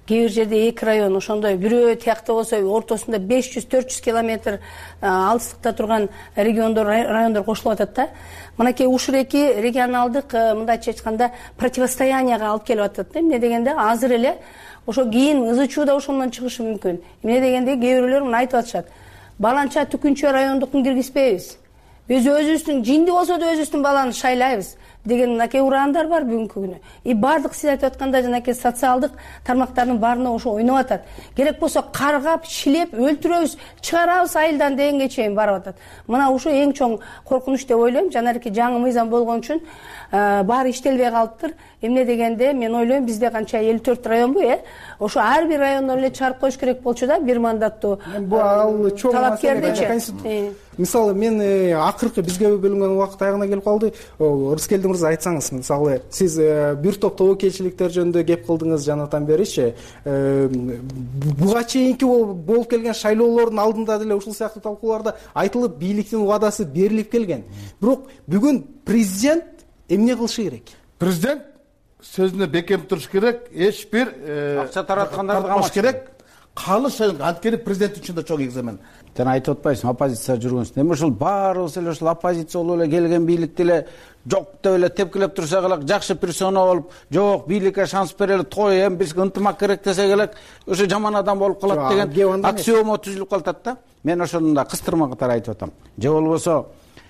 кээ бир жерде эки район, ошондой бирөө тиякта болсо ортосунда беш жүз төрт жүз километр алыстыкта турган региондор, райондор кошулуп атат да. Мынакей ушул эки регионалдык, мындайча айтканда, противостоянияга алып келип атат да. Эмне дегенде азыр эле ошо кийин ызы чуу да ошондон чыгышы мүмкүн. Эмне дегенде кээ бирөөлөр мына айтып атышат. Баланча Түкүнчө райондукун киргизбейбиз. Биз өзүбүздүн жинди болсо да өзүбүздүн баланы шайлайбыз деген мынакей ураандар бар бүгүнкү күнү. И бардык сиз айтып аткандай жанакей социалдык тармактардын баарына ошо ойноп атат. Керек болсо каргап, шилеп, өлтүрөбүз, чыгарабыз айылдан дегенге чейин барып атат. Мына ушу эң чоң коркунуч деп ойлойм. Жанарки жаңы мыйзам болгон үчүн баары иштелбей калыптыр. Эмне дегенде мен ойлойм, бизде канча элүү төрт районбу, э? Ошо ар бир райондон эле чыгарып коюш керек болчу да, бир мандаттуу. Бул ал чоң маселе. Мисалы мен акыркы бизге бөлүнгөн убакыт аягына келип калды. Рыскелди мырза, айтсаңыз, мисалы сиз бир топ тобокелчиликтер жөнүндө кеп кылдыңыз жанатан беричи. Буга чейинки болуп келген шайлоолордун алдында деле ушул сыяктуу талкууларда айтылып, бийликтин убадасы берилип келген. Бирок бүгүн президент эмне кылышы керек? Президент сөзүнө бекем туруш керек, эч бир акча тараткандарды камаш керек. Калыш анткени президент үчүн да чоң экзамен. Жана айтып атпайсың, оппозиция жүргөнсүн. Эми ушул баарыбыз эле ушул оппозиция болуп эле келген бийликти эле жок деп эле тепкилеп турсак эле, жакшы персона болуп, жок бийликке шанс берели, той эми бизге ынтымак керек десек эле, ошо жаман адам болуп калат деген аксиома түзүлүп калат да. Мен ошону да кыстырма катары айтып атам. Же болбосо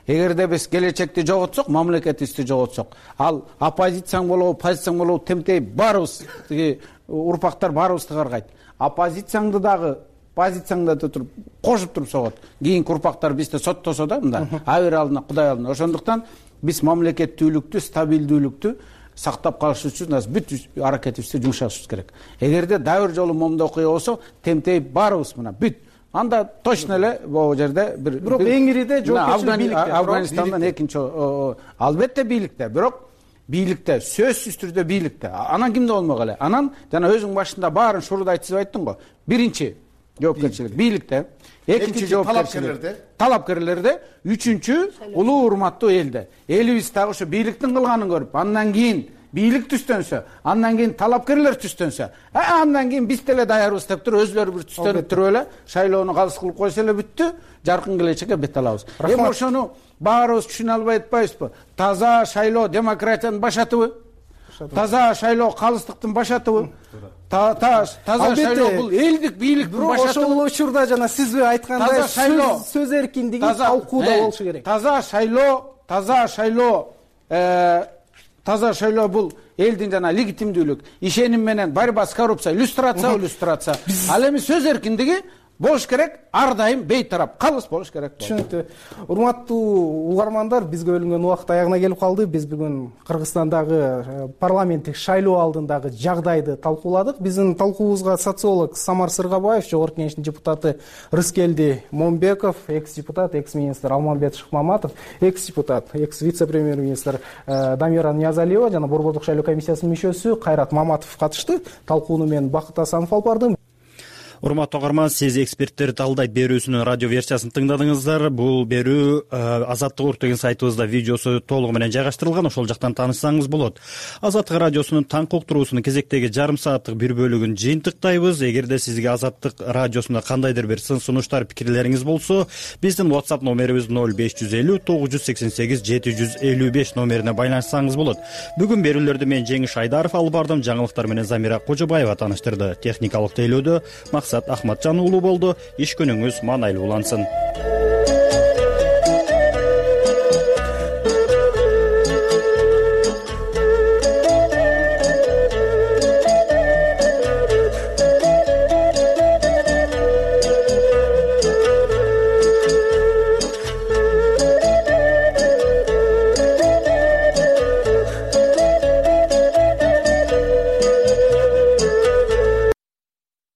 эгерде биз келечекти жоготсок, мамлекетибизди жоготсок, ал оппозицияң болобу, позицияң болобу, темтей баарыбыз, тиги урпактар баарыбызды каргайт. Оппозицияңды дагы позицияңда туруп кошуп туруп согот. Кийинки урпактар бизди соттосо да, мында абир алдына, Кудай алдына. Ошондуктан биз мамлекеттүүлүктү, стабилдүүлүктү сактап калыш үчүн бүт аракетибизди жумшашыбыз керек. Эгерде дагы бир жолу момундай окуя болсо, темтей баарыбыз мына бүт анда точно эле могу жерде бир бирок эңириде жоопкерчилик бийликте. Афганистандан экинчи албетте бийликте, бирок бийликте, сөзсүз түрдө бийликте. Анан кимде болмок эле? Анан жана өзүң башында баарын шуурда айтып айттың го. Биринчи жоопкерчилик бийликте, экинчи жоопкерчилик талапкерлерде, үчүнчү улуу урматтуу элде. Элибиз дагы ошо бийликтин кылганын көрүп, андан кийин бийлик түстөнсө, андан кийин талапкерлер түстөнсө, андан кийин биз деле даярбыз деп туруп өзүлөрү бир түстөнүп туруп эле шайлоону калыс кылып койсо эле бүттү, жаркын келечекке бет алабыз. Эми ошону баарыбыз түшүнө албай атпайбызбы? Таза шайлоо демократиянын башатыбы? башатып. Таза шайлоо калыстыктын башатыбы? Таза шайлоо бул элдик бийликтин башатыбы? Ошол учурда жана сиз айткандай сөз эркиндиги талкууда болушу керек. Таза шайлоо, таза шайлоо, таза шайлоо бул элдин жана легитимдүүлүк, ишеним менен борьба с коррупцией, иллюстрация, иллюстрация. Ал эми сөз эркиндиги болуш керек, ар дайым бейтарап, калыс болуш керек. Түшүнүктүү. Урматтуу угармандар, бизге бөлүнгөн убакыт аягына келип калды. Биз бүгүн Кыргызстандагы парламенттик шайлоо алдындагы жагдайды талкууладык. Биздин талкуубузга социолог Самар Сыргабаев, жогорку кеңештин депутаты Рыскелди Момбеков, экс-депутат, экс-министр Алмамбет Шыкмаматов, экс-депутат, экс-вице-премьер-министр Дамира Ниязалиева жана Борбордук шайлоо комиссиясынын мүчөсү Кайрат Маматов катышты. Талкууну мен Бакыт Асанов алып бардым. Урматтуу угарман, сиз эксперттер талдайт берүүсүнүн радио версиясын тыңдадыңыздар. Бул берүү Азаттык урт деген сайтыбызда видеосу толугу менен жайгаштырылган, ошол жактан таанышсаңыз болот. Азаттык радиосунун таң уктуруусунун кезектеги жарым сааттык бир бөлүгүн жыйынтыктайбыз. Эгерде сизге Азаттык радиосунда кандайдыр бир сын сунуштар, пикирлериңиз болсо, биздин WhatsApp номерибиз ноль беш жүз элүү тогуз жүз сексен сегиз жети жүз элүү беш номерине байланышсаңыз болот. Бүгүн берүүлөрдү мен Жеңиш Айдаров алып бардым, жаңылыктар менен Замира Кожобаева тааныштырды. Техникалык тейлөөдө Максат Ахматжан уулу болду. Иш күнүңүз маанайлуу улансын.